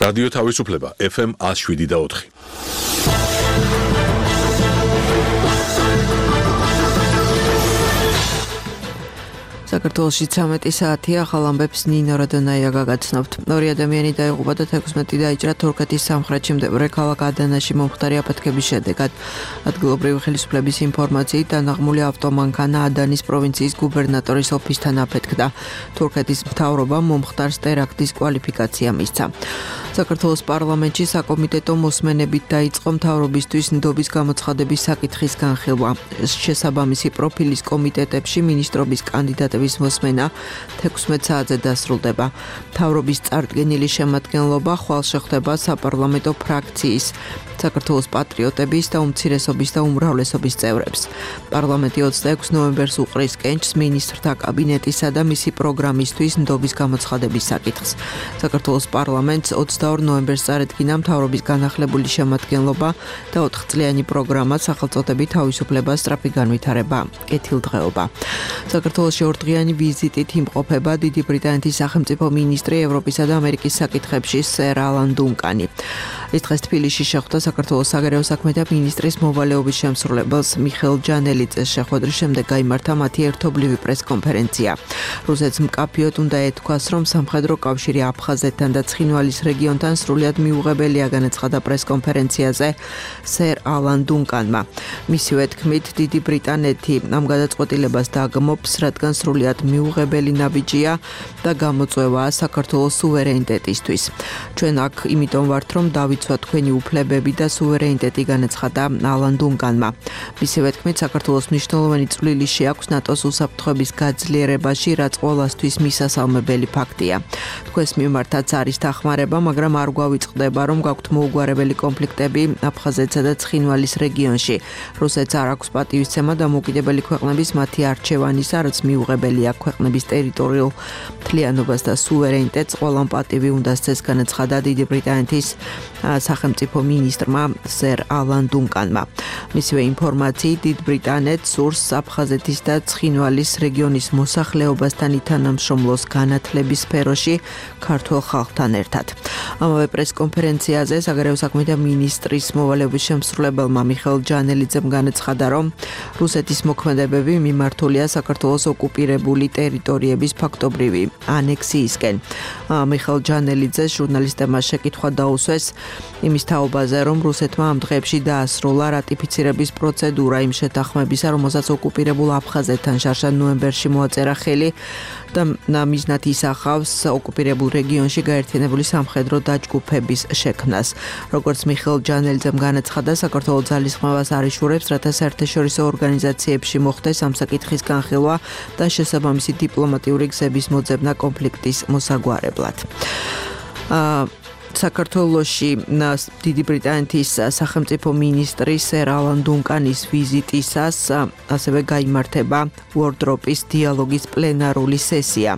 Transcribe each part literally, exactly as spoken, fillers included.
რადიო თავისუფლება ეფ ემ one oh seven და four. საქართველოში ცამეტი საათია, ახალ ამბებს ნინო რადონაია გაგაცნობთ. ორი ადამიანი დაიღუპა და თექვსმეტი დაიჭრა თურქეთის სამხრეთში მდებარე ქალაქ ადანაში მომხდარი აფეთქების შედეგად. ადგილობრივი ხელისუფლების ინფორმაციით დანაღმული ავტომანქანა ადანის პროვინციის გუბერნატორის ოფისთან აფეთქდა. თურქეთის მთავრობამ მომხდარს ტერაქტის კვალიფიკაცია მისცა. საქართველოს პარლამენტში საკომიტეტო მოსმენებით დაიწყო მთავრობისთვის ნდობის გამოცხადების საკითხის განხილვა. შესაბამისი პროფილის კომიტეტებში მინისტრობის კანდიდატების მოსმენა თექვსმეტ საათზე დასრულდება. მთავრობის წარდგენილი შემადგენლობა ხვალ შეხვდება საპარლამენტო ფრაქციის, საქართველოს პატრიოტების და უმცირესობის და უმრავლესობის წევრებს. პარლამენტი ოცდაექვსი ნოემბერს უყრის კენჭს მინისტრთა კაბინეტისა და მისი პროგრამისთვის ნდობის გამოცხადების საკითხს. საქართველოს პარლამენტს ოცდაორ ნოემბერს წარედგინა მთავრობის განახლებული შემადგენლობა და ოთხწლიანი პროგრამა სახელწოდებით თავისუფლება, სწრაფი განვითარება, კეთილდღეობა. საქართველოში ორდღიანი ვიზიტით იმყოფება დიდი ბრიტანეთის სახელმწიფო მინისტრი ევროპისა და ამერიკის საკითხებში სერ ალან დუნკანი. ის დღეს თბილისში შეხვდა საქართველოს საგარეო საქმეთა მინისტრის მოვალეობის შემსრულებელს მიხეილ ჯანელიძეს შეხვედრის შემდეგ გაიმართა მათი ერთობლივი პრესკონფერენცია. რუსეთს მკაფიოდ უნდა ეთქვას, რომ სამხედრო კავშირი აფხაზეთთან და ცხინვალის რეგიონთან სრულიად მიუღებელია, განაცხადა პრესკონფერენციაზე სერ ალან დუნკანმა. მისივე თქმით, დიდი ბრიტანეთი ამ გადაწყვეტილებას დაგმობს, რადგან სრულიად მიუღებელი ნაბიჯია და გამოწვევაა საქართველოს სუვერენიტეტისთვის. ჩვენ აქ იმიტომ ვართ, რომ დავიცვათ თქვენი უფლებები და სუვერენიტეტი, განაცხადა ალან დუნკანმა. მისივე თქმით, საქართველოს მნიშვნელოვანი წვლილი შეაქვს ნატოს უსაფრთხოების გაძლიერებაში, რაც ყველასთვის მისასალმებელი ფაქტია. თქვენს მიმართაც არის დახმარება, მაგრამ არ გვავიწყდება, რომ გაქვთ მოუგვარებელი კონფლიქტები აფხაზეთსა და ცხინვალის რეგიონში. რუსეთს არ აქვს პატივისცემა დამოუკიდებელი ქვეყნების მათი არჩევანისა, რაც მიუღებელია ქვეყნების ტერიტორიულ მთლიანობას და სუვერენიტეტს, ყველამ პატივი უნდა სცეს, განაცხადა დიდი ბრიტანეთის სახელმწიფო მინისტრმა სერ ალან დუნკანმა. მისივე ინფორმაციით, დიდ ბრიტანეთს სურს აფხაზეთის და ცხინვალის რეგიონის მოსახლეობასთან ითანამშრომლოს განათლების სფეროში ქართულ ხალხთან ერთად. ამავე პრესკონფერენციაზე საგარეო საქმეთა მინისტრის მოვალეობის შემსრულებელმა მიხეილ ჯანელიძემ განაცხადა, რომ რუსეთის მოქმედებები მიმართულია საქართველოს ოკუპირებული ტერიტორიების ფაქტობრივი ანექსიისკენ. მიხეილ ჯანელიძეს ჟურნალისტებმა შეკითხვა დაუსვეს იმის თაობაზე, რომ რუსეთმა ამ დღეებში დაასრულა რატიფიცირების პროცედურა იმ შეთანხმებისა, რომელსაც ოკუპირებულ აფხაზეთთან შარშან ნოემბერში მოაწერა ხელი და მიზნად ისახავს ოკუპირებულ რეგიონში გაერთიანებული სამხედრო დაჯგუფების შექმნას. როგორც მიხეილ ჯანელიძემ განაცხადა, საქართველოს ძალისხმევას არ იშურებს, რათა საერთაშორისო ორგანიზაციებში მოხდეს ამ საკითხის განხილვა და შესაბამისი დიპლომატიური გზების მოძებნა კონფლიქტის მოსაგვარებლად. საქართველოში დიდი ბრიტანეთის სახელმწიფო მინისტრი სერ ალან დუნკანის ვიზიტისას ასევე გაიმართება უორდროპის დიალოგის პლენარული სესია.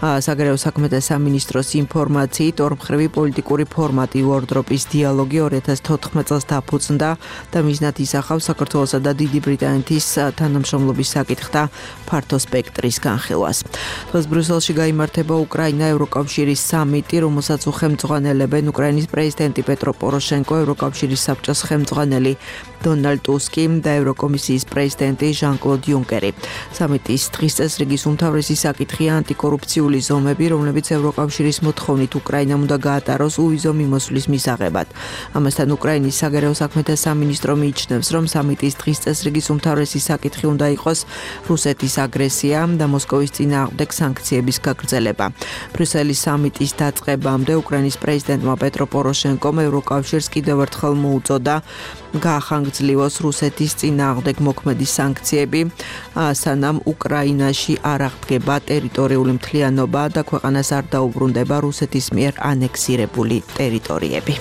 საგარეო საქმეთა სამინისტროს ინფორმაციით, ორმხრივი პოლიტიკური ფორმატი უორდროპის დიალოგი ორი ათას თოთხმეტ წელს დაფუძნდა და მიზნად ისახავს საქართველოსა და დიდი ბრიტანეთის თანამშრომლობის საკითხთა ფართო სპექტრის განხილვას. დღეს ბრიუსელში გაიმართება უკრაინა ევროკავშირის სამიტი, რომელსაც უხელმძღვანელებენ უკრაინის პრეზიდენტი პეტრო პოროშენკო, ევროკავშირის საბჭოს ხელმძღვანელი დონალდ ტუსკი და ევროკომისიის პრეზიდენტი ჟან-კლოდ იუნკერი. სამიტის დღის წესრიგის უმთავრესი საკითხია ანტიკორუფციული ზომები, რომლებიც ევროკავშირის მოთხოვნით უკრაინამ უნდა გაატაროს უვიზო მიმოსვლის მისაღებად. ამასთან უკრაინის საგარეო საქმეთა სამინისტრო მიიჩნევს, რომ სამიტის დღის წესრიგის უმთავრესი საკითხი უნდა იყოს რუსეთის აგრესია და მოსკოვის წინააღმდეგ სანქციების გაგრძელება. ბრიუსელის სამიტის დაწყებამდე უკრაინის პრეზიდენტმა პეტრო პოროშენკომ ევროკავშირს კიდევ ერთხელ მოუწოდა გაახანგრძლივოს რუსეთის წინააღმდეგ მოქმედი სანქციები, სანამ უკრაინაში არ აღდგება ტერიტორიული მთლიანობა და ქვეყანას არ დაუბრუნდება რუსეთის მიერ ანექსირებული ტერიტორიები.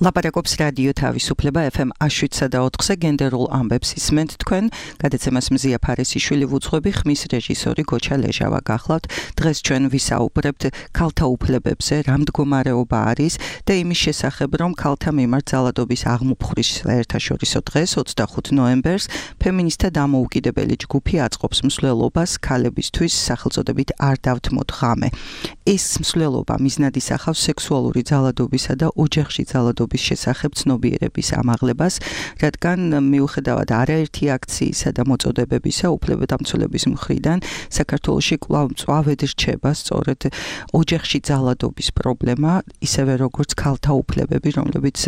ლაპარაკობს რადიო თავისუფლება ეფ ემ შვიდსა და ოთხზე გენდერულ ამბებს ისმენთ თქვენ. გადაცემას მზია ფარესიშვილი ვუძღვები, ხმის რეჟისორი გოჩა ლეჟავა გახლავთ. დღეს ჩვენ ვისაუბრებთ ქალთა უფლებებზე, რა მდგომარეობა არის და იმის შესახებ, რომ ქალთა მიმართ ძალადობის აღმოფხვრის საერთაშორისო დღეს ოცდახუთი ნოემბერს ფემინისტთა დამოუკიდებელი ჯგუფი აწყობს მსვლელობას ქალებისთვის სახელწოდებით არ დავთმოთ ღამე. ეს მსვლელობა მიზნად ისახავს სექსუალური ძალადობისა და ოჯახში ძალადობის შესახებ ცნობიერების ამაღლებას, რადგან მიუხედავად არაერთი აქციისა და მოწოდებებისა უფლებადამცველების მხრიდან საქართველოში კვლავ მწვავედ რჩება სწორედ ოჯახში ძალადობის პრობლემა, ისევე როგორც ქალთა უფლებები, რომლებიც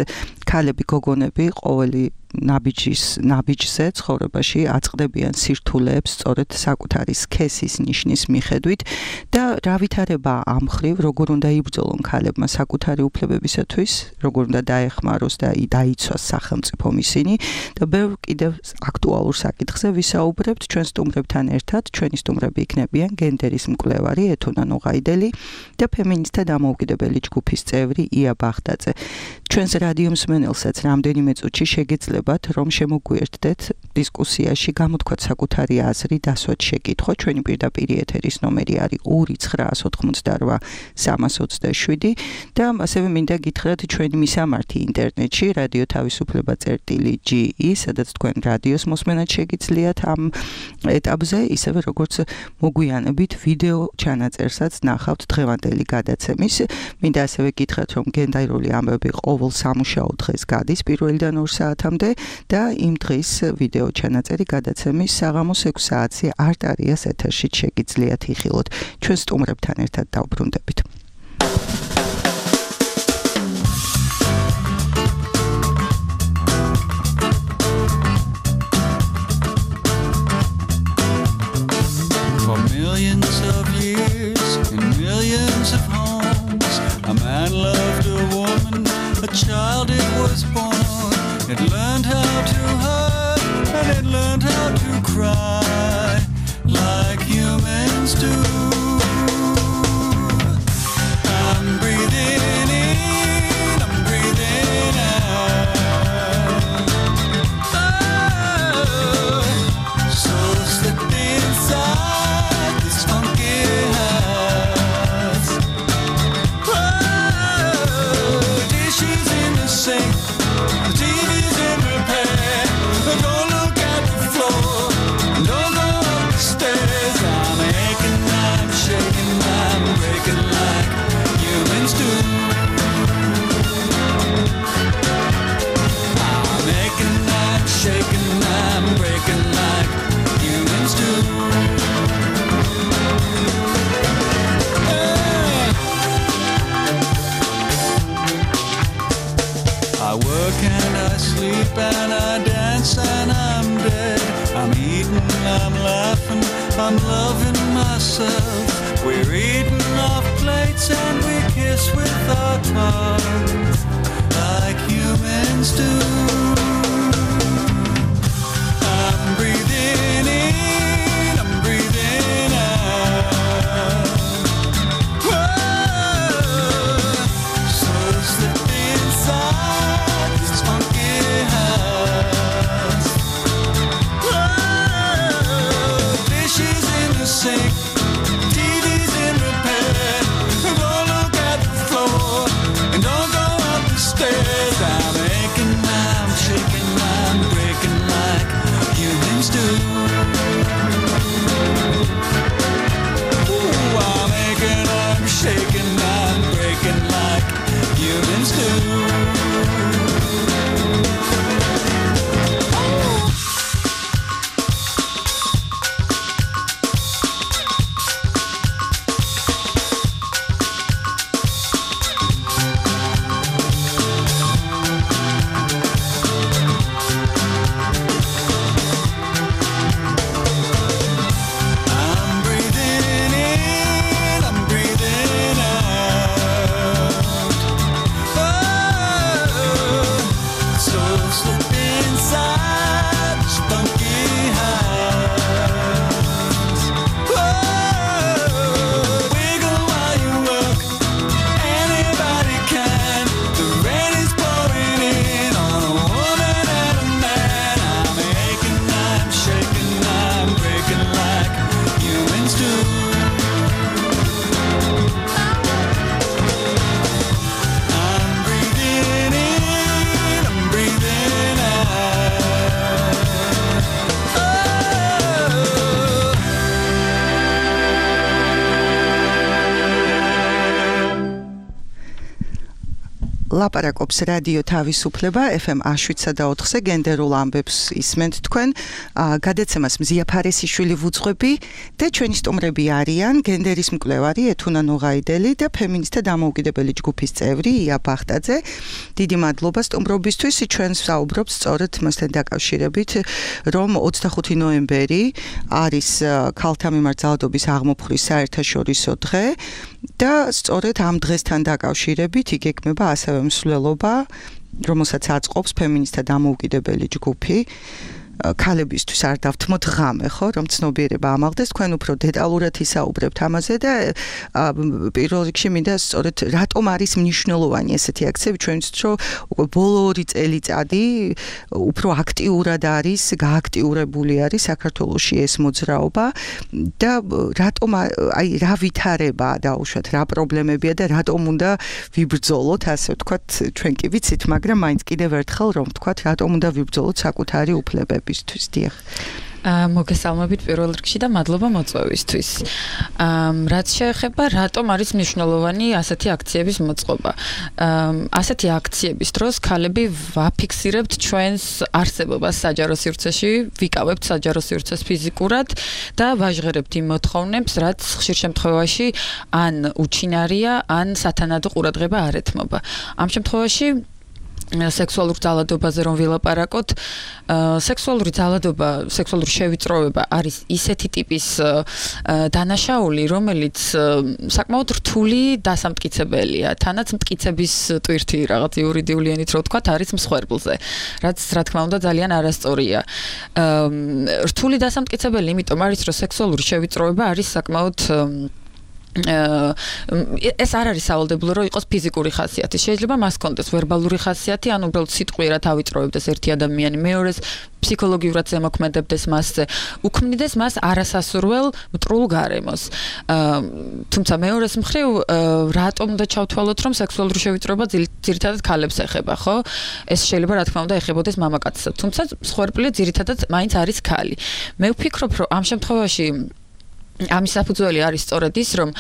ქალები, გოგონები ყოველი ნაბიჯის ნაბიჯზე ცხოვრებაში აწყდებიან სირთულეებს სწორედ საკუთარი სქესის ნიშნის მიხედვით და რა ვითარება ამ მხრივ, როგორ უნდა იბრძოლონ ქალებმა საკუთარი უფლებებისათვის, როგორ უნდა დაეხმაროს და დაიცვას სახელმწიფომ ისინი და ბევრ კიდევ აქტუალურ საკითხზე ვისაუბრებთ ჩვენ სტუმრებთან ერთად. ჩვენი სტუმრები იქნებიან გენდერის მკვლევარი ეთუნა ნუღაიდელი და ფემინისტთა დამოუკიდებელი ჯგუფის წევრი ია ბახტაძე. ჩვენს რადიო მსმენელსაც რამდენიმე წუთში შეგეძლებათ, რომ შემოგვიერთდეთ დისკუსიაში, გამოთქვათ საკუთარი აზრი, დასვათ შეკითხვა. ჩვენი პირდაპირ ეთერის ნომერი არის ორი ცხრაას ოთხმოცდარვა სამას ოცდაშვიდი და ასევე მინდა გითხრათ ჩვენი მისამართი ინტერნეტში რადიო თავისუფლება წერტილი ჯი ი, სადაც თქვენ რადიოს მოსმენად შეგიძლიათ ამ ეტაპზე, ისევე როგორც მოგვიანებით ვიდეო ჩანაწერსაც ნახავთ დღევანდელი გადაცემის. მინდა ასევე გითხრათ, რომ გენდერული ამბები ყოველ სამუშაო დღეს გადის პირველიდან ორ საათამდე და იმ დღის ვიდეო ჩანაწერი გადაცემის საღამოს ექვსი საათზე არტარიას ეთერში შეგიძლიათ იხილოთ. ჩვენ სტუმრებთან ერთად დავბრუნდებით. For millions of years in millions of homes, a man loved a woman, a child it was born. It learned how to hurt and it learned how to cry like humans do. I'm breathing in, I'm breathing out. Oh, so slip inside this funky house. Oh, dishes in the sink, the T V's in repair. Don't look at the floor, don't go up the stairs. I'm aching, I'm shaking, I'm breaking like humans do. I'm aching, I'm shaking, I'm breaking like humans do. Hey. I work and I sleep and I dance and I'm dead. I'm eating, I'm laughing, I'm loving myself. We're eating off plates and we kiss with our tongues like humans do. I'm breathing in, I'm breathing out. Whoa, so slip inside this funky house. Whoa, dishes in the sink, T V's in repair. Don't look at the floor and don't go up the stairs. I'm aching, I'm ლაპარაკობს რადიო თავისუფლება ეფ ემ one oh seven point four-ზე გენდერულ ამბებს ისმენთ თქვენ. გადაცემას მზია ფარესიშვილი ვუძღვები და ჩვენი სტუმრები არიან გენდერის მკვლევარი ეთუნა ნოღაიდელი და ფემინისტთა დამოუკიდებელი ჯგუფის წევრი ია ბახტაძე. დიდი მადლობა სტუმრობისთვის. ჩვენ ვსაუბრობთ სწორედ მასთან დაკავშირებით, რომ ოცდახუთი ნოემბერი არის ქალთა მიმართ ძალადობის აღმოფხრის საერთაშორისო დღე და სწორედ ამ დღესთან დაკავშირებით იგეგმება ასევე მსვლელობა, რომელსაც აწყობს ფემინისტთა დამოუკიდებელი ჯგუფი. ქალებისთვის არ დავთმოთ ღამე, ხო, რომ ცნობიერება ამაღლდეს. თქვენ უფრო დეტალურად ისაუბრებთ ამაზე და პირველ რიგში მინდა სწორედ რატომ არის მნიშვნელოვანი ესეთი აქციები, ჩვენთვის რომ უკვე ბოლო ორი წელიწადი უფრო აქტიურად არის, გააქტიურებული არის საქართველოში ეს მოძრაობა და რატომ აი რა ვითარება დაუშვათ, რა პრობლემებია და რატომ უნდა ვიბრძოლოთ, ასე ვთქვათ, ჩვენ კი ვიცით, მაგრამ მაინც კიდევ ერთხელ რომ ვთქვათ, რატომ უნდა ვიბრძოლოთ საკუთარი უფლებები. მოგესალმებით პირველ რიგში და მადლობა მოწვევისთვის. რაც შეეხება რატომ არის მნიშვნელოვანი ასეთი აქციების მოწყობა. ასეთი აქციების დროს ქალები ვაფიქსირებთ ჩვენს არსებობას საჯარო სივრცეში, ვიკავებთ საჯარო სივრცეს ფიზიკურად და ვაჟღერებთ იმ მოთხოვნებს, რაც ხშირ შემთხვევაში ან უჩინარია, ან სათანადო ყურადღება არ ეთმობა. ამ შემთხვევაში სექსუალურ ძალადობაზე რომ ვილაპარაკოთ, სექსუალური ძალადობა, სექსუალური შევიწროვება არის ისეთი ტიპის დანაშაული, რომელიც საკმაოდ რთული დასამტკიცებელია. თანაც მტკიცების ტვირთი რაღაც იურიდიული ენით რო ვთქვათ, არის მსხვერპლზე, რაც რა თქმა უნდა ძალიან არასწორია. რთული დასამტკიცებელი, იმიტომ არის, რომ სექსუალური შევიწროვება არის საკმაოდ ეს არ არის სავალდებულო რომ იყოს ფიზიკური ხასიათი. შეიძლება მას კონდეს ვერბალური ხასიათი, ან უბრალოდ სიტყვიერად ავიწროვებდეს ერთი ადამიანი მეორეს, ფსიქოლოგიურად ზემოქმედებდეს მასზე, უქმნიდეს მას არასასურველ მტრულ გარემოს. თუმცა მეორეს მხრივ, რატომ უნდა ჩავთვალოთ, რომ სექსუალური შევიწროება ძირითადად ქალებს ეხება, ხო? ეს შეიძლება რა თქმა უნდა ეხებოდეს მამაკაცსაც, თუმცა მსხვერპლი ძირითადად მაინც არის ქალი. მე ვფიქრობ, რომ ამ შემთხვევაში ამის საფუძველი არის სწორედ ის, რომ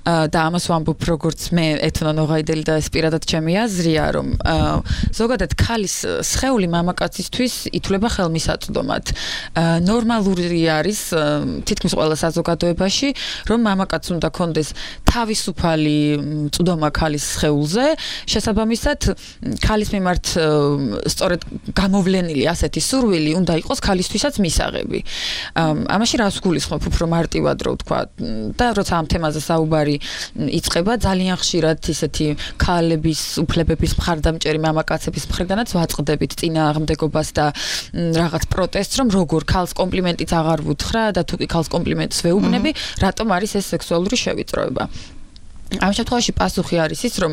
და ამას ვამბობ როგორც მე ეთუნა ნოღაიდელი და ეს პირადად ჩემი აზრია, რომ ზოგადად ქალის სხეული მამაკაცისთვის ითვლება ხელმისაწვდომად. ნორმალური არის თითქმის ყველა საზოგადოებაში, რომ მამაკაც უნდა კონდეს თავისუფალი წვდომა ქალის სხეულზე, შესაბამისად ქალის მიმართ სწორედ გამოვლენილი ასეთი სურვილი უნდა იყოს ქალისთვისაც მისაღები. ამაში რას გულისხმობ უფრო მარტივად თქვა და როცა ამ თემაზე საუბარი იწყება, ძალიან ხშირად ისეთი ქალების უფლებების მხარდამჭერი მამაკაცების მხრიდანაც ვაწყდებით წინააღმდეგობას და რაღაც პროტესტს, რომ როგორ ქალს კომპლიმენტიც აღარ ვუთხრა და თუ კი ქალს კომპლიმენტს ვეუბნები, რატომ არის ეს სექსუალური შევიწროება. ამ შემთხვევაში პასუხი არის ის, რომ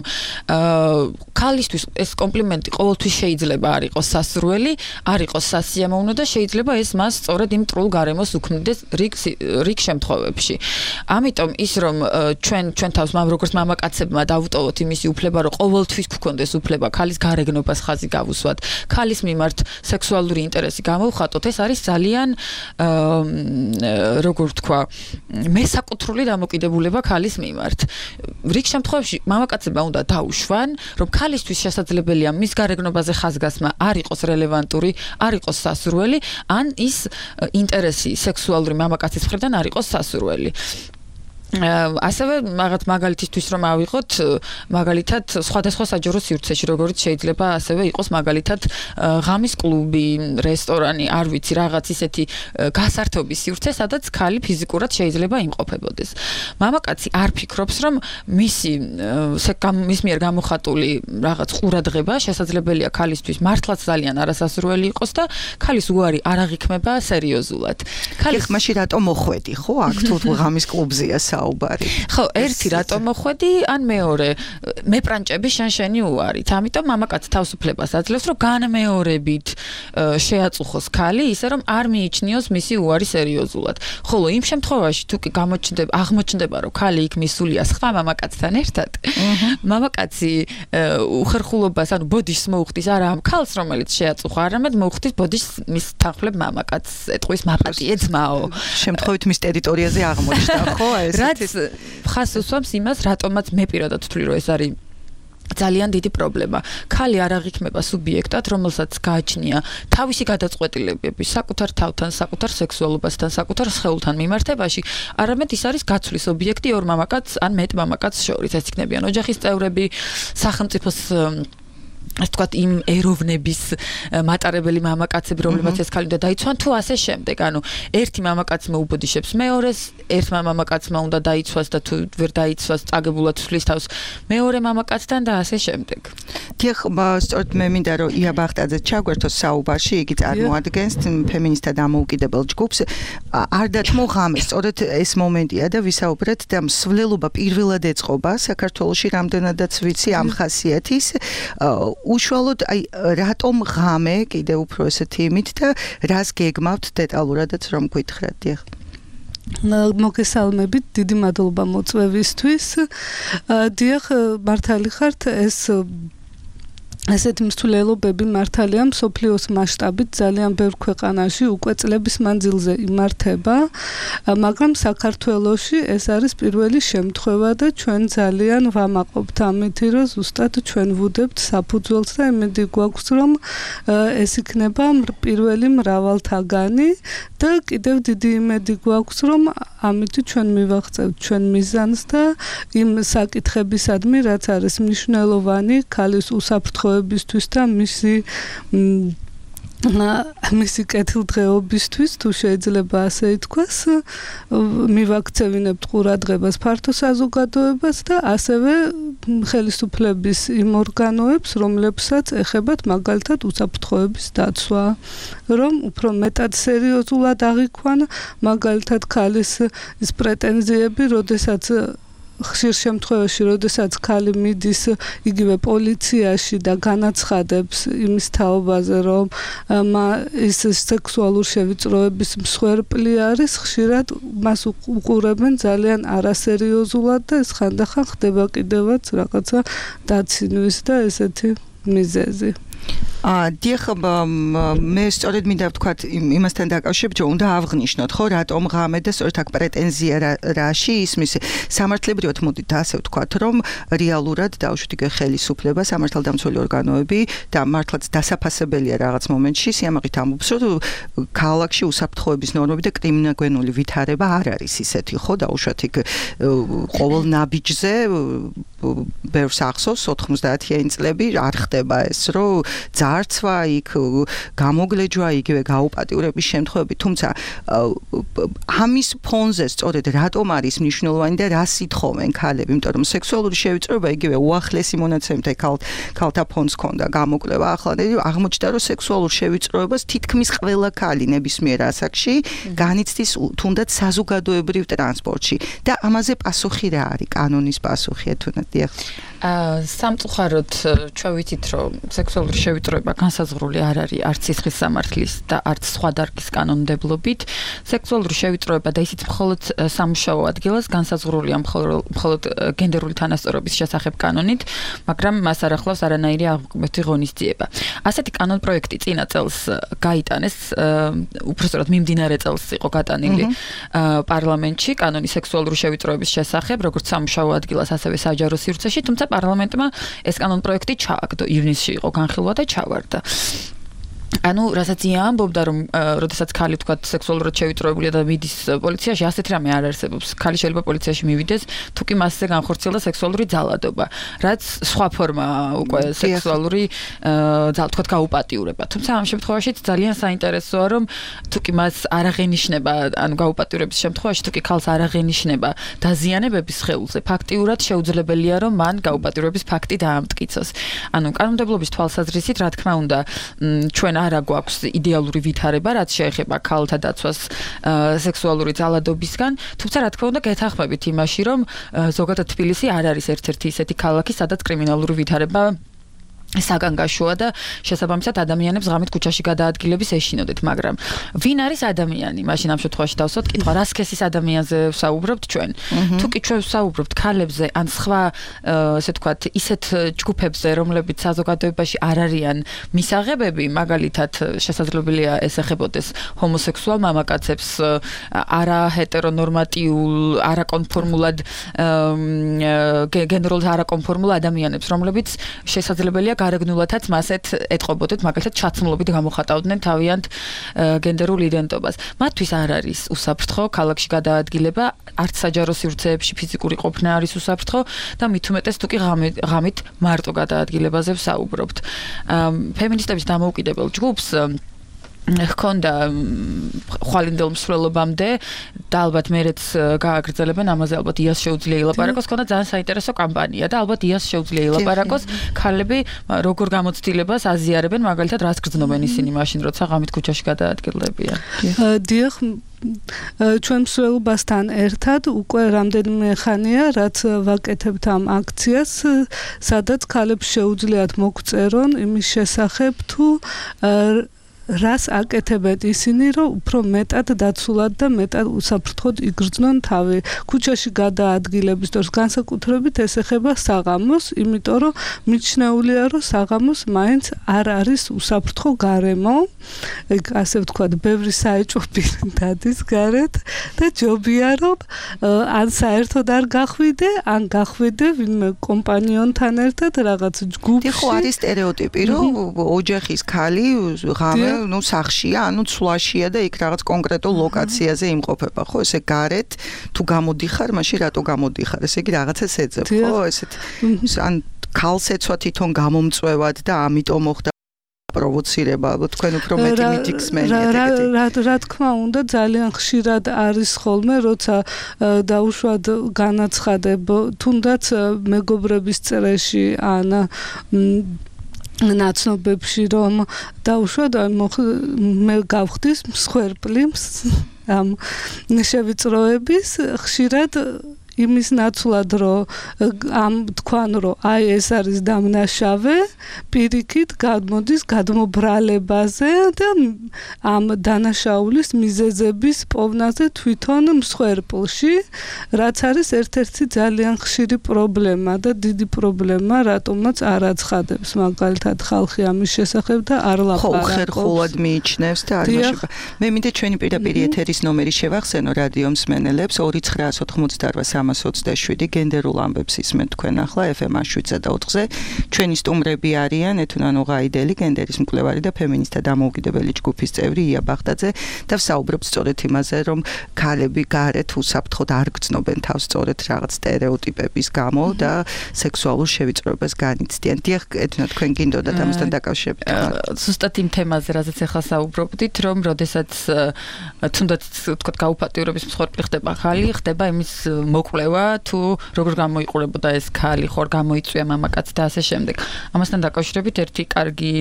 ქალისთვის ეს კომპლიმენტი ყოველთვის შეიძლება არ იყოს სასურველი, არ იყოს სასიამოვნო და შეიძლება ეს მას სწორედ იმ მტრულ გარემოს უქმნიდეს რიგ რიგ შემთხვევებში. ამიტომ ის, რომ ჩვენ ჩვენ თავს როგორც მამაკაცებმა დავუტოვოთ იმისი უფლება, რომ ყოველთვის გქონდეს უფლება ქალის გარეგნობას ხაზი გავუსვათ, ქალის მიმართ სექსუალური ინტერესი გამოვხატოთ, ეს არის ძალიან როგორ ვთქვა, მესაკუთრული დამოკიდებულება ქალის მიმართ. რიგ შემთხვევაში მამაკაცებმა უნდა დაუშვან, რომ ქალისთვის შესაძლებელია მის გარეგნობაზე ხაზგასმა არ იყოს რელევანტური, არ იყოს სასურველი, ან ის ინტერესი სექსუალური მამაკაცის მხრიდან არ იყოს სასურველი. ასევე რაღაც მაგალითისთვის რომ ავიღოთ, მაგალითად სხვადასხვა საჯარო სივრცეში, როგორც შეიძლება ასევე იყოს მაგალითად ღამის კლუბი, რესტორანი, არ ვიცი, რაღაც ისეთი გასართობის სივრცე, სადაც ქალი ფიზიკურად შეიძლება იმყოფებოდეს. მამაკაცი არ ფიქრობს, რომ მისი მის მიერ გამოხატული რაღაც ყურადღება შესაძლებელია ქალისთვის მართლაც ძალიან არასასურველი იყოს და ქალის უარი არ აღიქმება სერიოზულად. ქალის მაშინ რატომ მოხვედი, ხო, აქ თუ ღამის კლუბზეა ხო, ერთი რატომ მოხვედი, ან მეორე მეპრანჭები შენ შენი უარით. ამიტომ მამაკაცი თავისუფლებას აძლევს, რომ განმეორებით შეაწუხოს ქალი, ისე რომ არ მიიჩნიოს მისი უარი სერიოზულად. ხოლო იმ შემთხვევაში თუ კი გამოჩნდება, აღმოჩნდება, რომ ქალი იქ მისულია სხვა მამაკაცთან ერთად, მამაკაცი უხერხულობას, ანუ ბოდიშს მოუხდის არა ამ ქალს, რომელიც შეაწუხა, არამედ მოუხდის ბოდიშს მის თანხმლებ მამაკაცს, ეტყვის მაპატიე ძმაო. შემთხვევით მის ტერიტორიაზე აღმოჩნდა, ხო, ეს რაც ხას უსვამს იმას, რატომაც მე პირადად ვთვლი, რომ ეს არის ძალიან დიდი პრობლემა. Ქალი არ აღიქმება სუბიექტად, რომელსაც გააჩნია თავისი გადაწყვეტილებები საკუთარ თავთან, საკუთარ სექსუალობასთან, საკუთარ სხეულთან მიმართებაში, არამედ ის არის გაცვლის ობიექტი ორ მამაკაც ან მეტ მამაკაც შორის. ეს იქნებიან ოჯახის წევრები, სახელმწიფოს ასე ვთქვათ, იმ ეროვნების მატარებელი მამაკაცები, რომლებსაც ეს ქალი უნდა დაიცვან, თუ ასე შემდეგ. ანუ ერთი მამაკაცმა უბოდიშებს მეორეს, ერთმა მამაკაცმა უნდა დაიცვას და თუ ვერ დაიცვას, წაგებულად ცვლის თავს მეორე მამაკაცთან და ასე შემდეგ. დიახ, სწორედ მე მინდა რომ ია ბახტაძე ჩაგვერთოს საუბარში, იგი წარმოადგენს ფემინისტთა დამოუკიდებელ ჯგუფს. არ დათმო ღამე, სწორედ ეს მომენტია და ვისაუბრეთ და მსვლელობა პირველად ეწყობა საქართველოში, რამდენადაც ვიცი ამ ხასიათის. უშუალოდ აი რატომ ღამე კიდე უფრო ესეთი იმით და რას გეგმავთ დეტალურადაც რომ გითხრათ დიახ მოგესალმებით დიდი მადლობა მოწვევისთვის დიახ მართალი ხართ ეს ასეთი მსვლელობები მართალია მსოფლიოს მასშტაბით ძალიან ბევრ ქვეყანაში უკვე წლების მანძილზე იმართება, მაგრამ საქართველოში ეს არის პირველი შემთხვევა და ჩვენ ძალიან ვამაყობთ ამით, რომ ზუსტად ჩვენ ვუდებთ საფუძველს და იმედი გვაქვს, რომ ეს იქნება პირველი მრავალთაგანი და კიდევ დიდი იმედი გვაქვს, რომ ამით ჩვენ მივაღწევთ ჩვენ მიზანს და იმ საკითხებისადმი, რაც არის მნიშვნელოვანი ქალის უსაფრთხო ბისთვის და მისი მისი კეთილდღეობისთვის თუ შეიძლება ასე ითქვას მივაქცევინებთ ყურადღებას ფართო საზოგადოებას და ასევე ხელისუფლების იმ ორგანოებს რომლებსაც ეხებათ მაგალითად უსაფრთხოების დაცვა რომ უფრო მეტად სერიოზულად აღიქვან მაგალითად ქალის ის პრეტენზიები როდესაც ხშირ შემთხვევაში, როდესაც ქალი მიდის იგივე პოლიციაში და განაცხადებს იმის თაობაზე, რომ ის სექსუალურ შევიწროების მსხვერპლი არის, ხშირად მას უყურებენ ძალიან არასერიოზულად და ეს ხანდახან ხდება კიდევაც რაღაცა დაცინვის და ესეთი მიზეზი. აა დიახ მე სწორედ მინდა ვთქვათ იმასთან დაკავშირებით რომ უნდა ავღნიშნოთ ხო რატომ ღამე და სწორედ აქ პრეტენზია რაში ისმის სამართლებრივად მოდით ასე ვთქვათ რომ რეალურად დაუშვით იგივე ხელისუფლება სამართალდამცველი ორგანოები და მართლაც დასაფასებელია რაღაც მომენტში სიამაყით ამბობს რომ ქალაქში უსაფრთხოების ნორმები და კრიმინოგენული ვითარება არ არის ისეთი ხო დაუშვათ იქ ყოველ ნაბიჯზე ბევრს ახსოვს ოთხმოცდაათიანი წლები არ ხდება ეს რომ ძარცვა იქ გამოგლეჯვა იგივე გაუპატიურების შემთხვევები თუმცა ამის ფონზე სწორედ რატომ არის მნიშვნელოვანი და რას ითხოვენ ქალები იმიტომ რომ სექსუალური შევიწროება იგივე უახლესი მონაცემთა ქალთა ფონდს ჰქონდა გამოკვლევა ახლა აღმოჩნდა რომ სექსუალურ შევიწროებას თითქმის ყველა ქალი ნებისმიერ ასაკში განიცდის თუნდაც საზოგადოებრივ ტრანსპორტში და ამაზე პასუხი რა არის კანონის პასუხი თუნდაც დიახ სამწუხაროდ ჩვენ ვიცით რომ სექსუალური შევიწროება განსაზღვრული არ არის არც სისხლის სამართლის და არც სხვა დარგის კანონმდებლობით სექსუალური შევიწროება და ისიც მხოლოდ სამუშაო ადგილას განსაზღვრულია მხოლოდ გენდერული თანასწორობის შესახებ კანონით მაგრამ მას არ ახლავს არანაირი აღმოჩენილი ღონისძიება ასეთი კანონპროექტი წინა წელს გაიტანეს უпростоრად მიმდინარე წელს იყო გატანილი პარლამენტში კანონი სექსუალური შევიწროების შესახებ როგორც სამუშაო ადგილას ასევე საჯარო სივრცეში თუმცა პარლამენტმა ეს კანონპროექტი ჩააგდო ივნისში იყო განხილვა და ჩავარდა ანუ რასაც ამბობდა რომ როდესაც ქალი თქვა სექსუალურად შევიწროებულია და მიდის პოლიციაში ასეთ რამე არ არსებობს ქალი შეიძლება პოლიციაში მივიდეს თუ კი მასზე განხორციელდა სექსუალური ძალადობა რაც სხვა ფორმა უკვე სექსუალური ძალა თქვა გაუპატიურება თუმცა ამ შემთხვევაში ძალიან საინტერესოა რომ თუ კი მას არ აღენიშნება ანუ გაუპატიურების შემთხვევაში თუ კი ქალს არ აღენიშნება დაზიანებების სხეულზე ფაქტიურად შეუძლებელია რომ მან გაუპატიურების ფაქტი დაამტკიცოს ანუ კანონმდებლობის თვალსაზრისით რა თქმა უნდა ჩვენ არა გვაქვს იდეალური ვითარება, რაც შეეხება ქალთა დაცვას სექსუალური ძალადობისგან, თუმცა რა თქმა უნდა გეთანხმებით იმაში, რომ ზოგადად თბილისი არ არის ერთ-ერთი ისეთი ქალაქი, სადაც კრიმინალური ვითარება საგანგაშოა და შესაბამისად ადამიანებს ღამით ქუჩაში გადაადგილების ეშინოდეთ, მაგრამ ვინ არის ადამიანი? მაშინ ამ შემთხვევაში დავსვათ კითხვა, რა სქესის ადამიანზე ვსაუბრობთ ჩვენ? თუ კი ჩვენ ვსაუბრობთ ქალებზე ან სხვა ესე ვთქვათ, ისეთ ჯგუფებზე, რომლებიც საზოგადოებაში არ არიან მისაღებები, მაგალითად, შესაძლებელია ეს ეხებოდეს ჰომოსექსუალ მამაკაცებს, არა ჰეტერონორმატიულ, არაკონფორმულად გენდერულ არაკონფორმულ ადამიანებს, რომლებიც შესაძლებელია გარეგნულათაც მასეთ ეტყობოდეთ, მაგალითად ჩაცმულობით გამოხატავდნენ თავიანთ გენდერულ იდენტობას. მათთვის არ არის უსაფრთხო ქალაქში გადაადგილება, არც საჯარო სივრცეებში ფიზიკური ყოფნა არის უსაფრთხო და მით უმეტეს თუ კი ღამით მარტო გადაადგილებაზე ვსაუბრობთ. ფემინისტების დამოუკიდებელ ჯგუფს ჰქონდა ხვალინდელ მსვლელობამდე და ალბათ მეც გააგრძელებენ ამაზე, ალბათ იას შეუძლია ილაპარაკოს, ჰქონდა ძალიან საინტერესო კამპანია და ალბათ იას შეუძლია ილაპარაკოს, ქალები როგორ გამოცდილებას აზიარებენ, მაგალითად რას გრძნობენ ისინი მაშინ, როცა ღამით ქუჩაში გადაადგილდებიან. დიახ, ჩვენ მსვლელობასთან ერთად უკვე რამდენიმე ხანია, რაც ვაკეთებთ ამ აქციას, სადაც ქალებს შეუძლიათ მოგწერონ იმის შესახებ, თუ რას აკეთებენ ისინი, რომ უფრო მეტად დაცულად და მეტად უსაფრთხოდ იგრძნონ თავი. ქუჩაში გადაადგილების დროს განსაკუთრებით ეს ეხება საღამოს, იმიტომ რომ მიჩნეულია, რომ საღამოს მაინც არ არის უსაფრთხო გარემო. ეგ ასე ვთქვათ, ბევრი საეჭვო პირი დადის გარეთ და ჯობია, რომ ან საერთოდ არ გახვიდე, ან გახვიდე ვინმე კომპანიონთან ერთად რაღაც ჯგუფში. ხო, არის სტერეოტიპი, რომ ოჯახის ქალი ღამე ну სახშია, ანუ ცვლაშია და იქ რაღაც კონკრეტულ ლოკაციაზე იმყოფება, ხო, ესე გარეთ თუ გამოდიხარ, მაშინ რატო გამოდიხარ? ესე იგი რაღაცას ეძებ, ხო, ესეთ ან ქალს ეცვა თვითონ გამომწვევად და ამიტომ მოხდა პროვოცირება, თქვენ უფრო მეტი მითიხსმენიათ ეგეთი. რა რა თქმა უნდა, ძალიან ხშირად არის ხოლმე, როცა დაუშვად განაცხადებ თუნდაც მეგობრების წრეში ან ნაცნობებში, რომ დაუშვათ მე გავხდის მსხვერპლი ამ შევიწროების, ხშირად იმის ნაცვლად, რომ ამ თქვან, რომ აი ეს არის დამნაშავე, პირიქით გამოდის გადმობრალებაზე და ამ დანაშაულის მიზეზების პოვნაზე თვითონ მსხვერპლში, რაც არის ერთ-ერთი ძალიან ხშირი პრობლემა და დიდი პრობლემა, რატომაც არ აცხადებს მაგალითად ხალხი ამის შესახებ და არ ლაპარაკობს. ხო, ხერხულად მიიჩნევს და არ მაშება. მე მინდა ჩვენი პირდაპირ ეთერის ნომერი შევახსენო რადიო მსმენელებს ორი ცხრა ოცდაოთხმოცდაარბა სამას ოცდაშვიდი გენდერულ ამბებს ისმენთ თქვენ ახლა ეფ ემ შვიდ და ოთხზე. ჩვენი სტუმრები არიან ეთუნა ნუღაიდელი, გენდერის მკვლევარი და ფემინისტთა დამოუკიდებელი ჯგუფის წევრი ია ბაღდაძე და ვსაუბრობთ სწორედ იმაზე, რომ ქალები გარეთ უსაფრთხოდ არ გრძნობენ თავს სწორედ რაღაც სტერეოტიპების გამო და სექსუალურ შევიწროებას განიცდიან. დიახ, ეთუნა თქვენ გინდოდათ ამასთან დაკავშირებით. ზუსტად იმ თემაზე, რაზეც ახლა საუბრობდით, რომ როდესაც თუნდაც თქვა გაუფატიურების მსხვერპლი ხდება ხალი, ხდება იმის მოკვლევა, თუ როგორ გამოიყურებოდა ეს ქალი, ხორ გამოიწვია მამაკაცი და ასე შემდეგ. ამასთან დაკავშირებით ერთი კარგი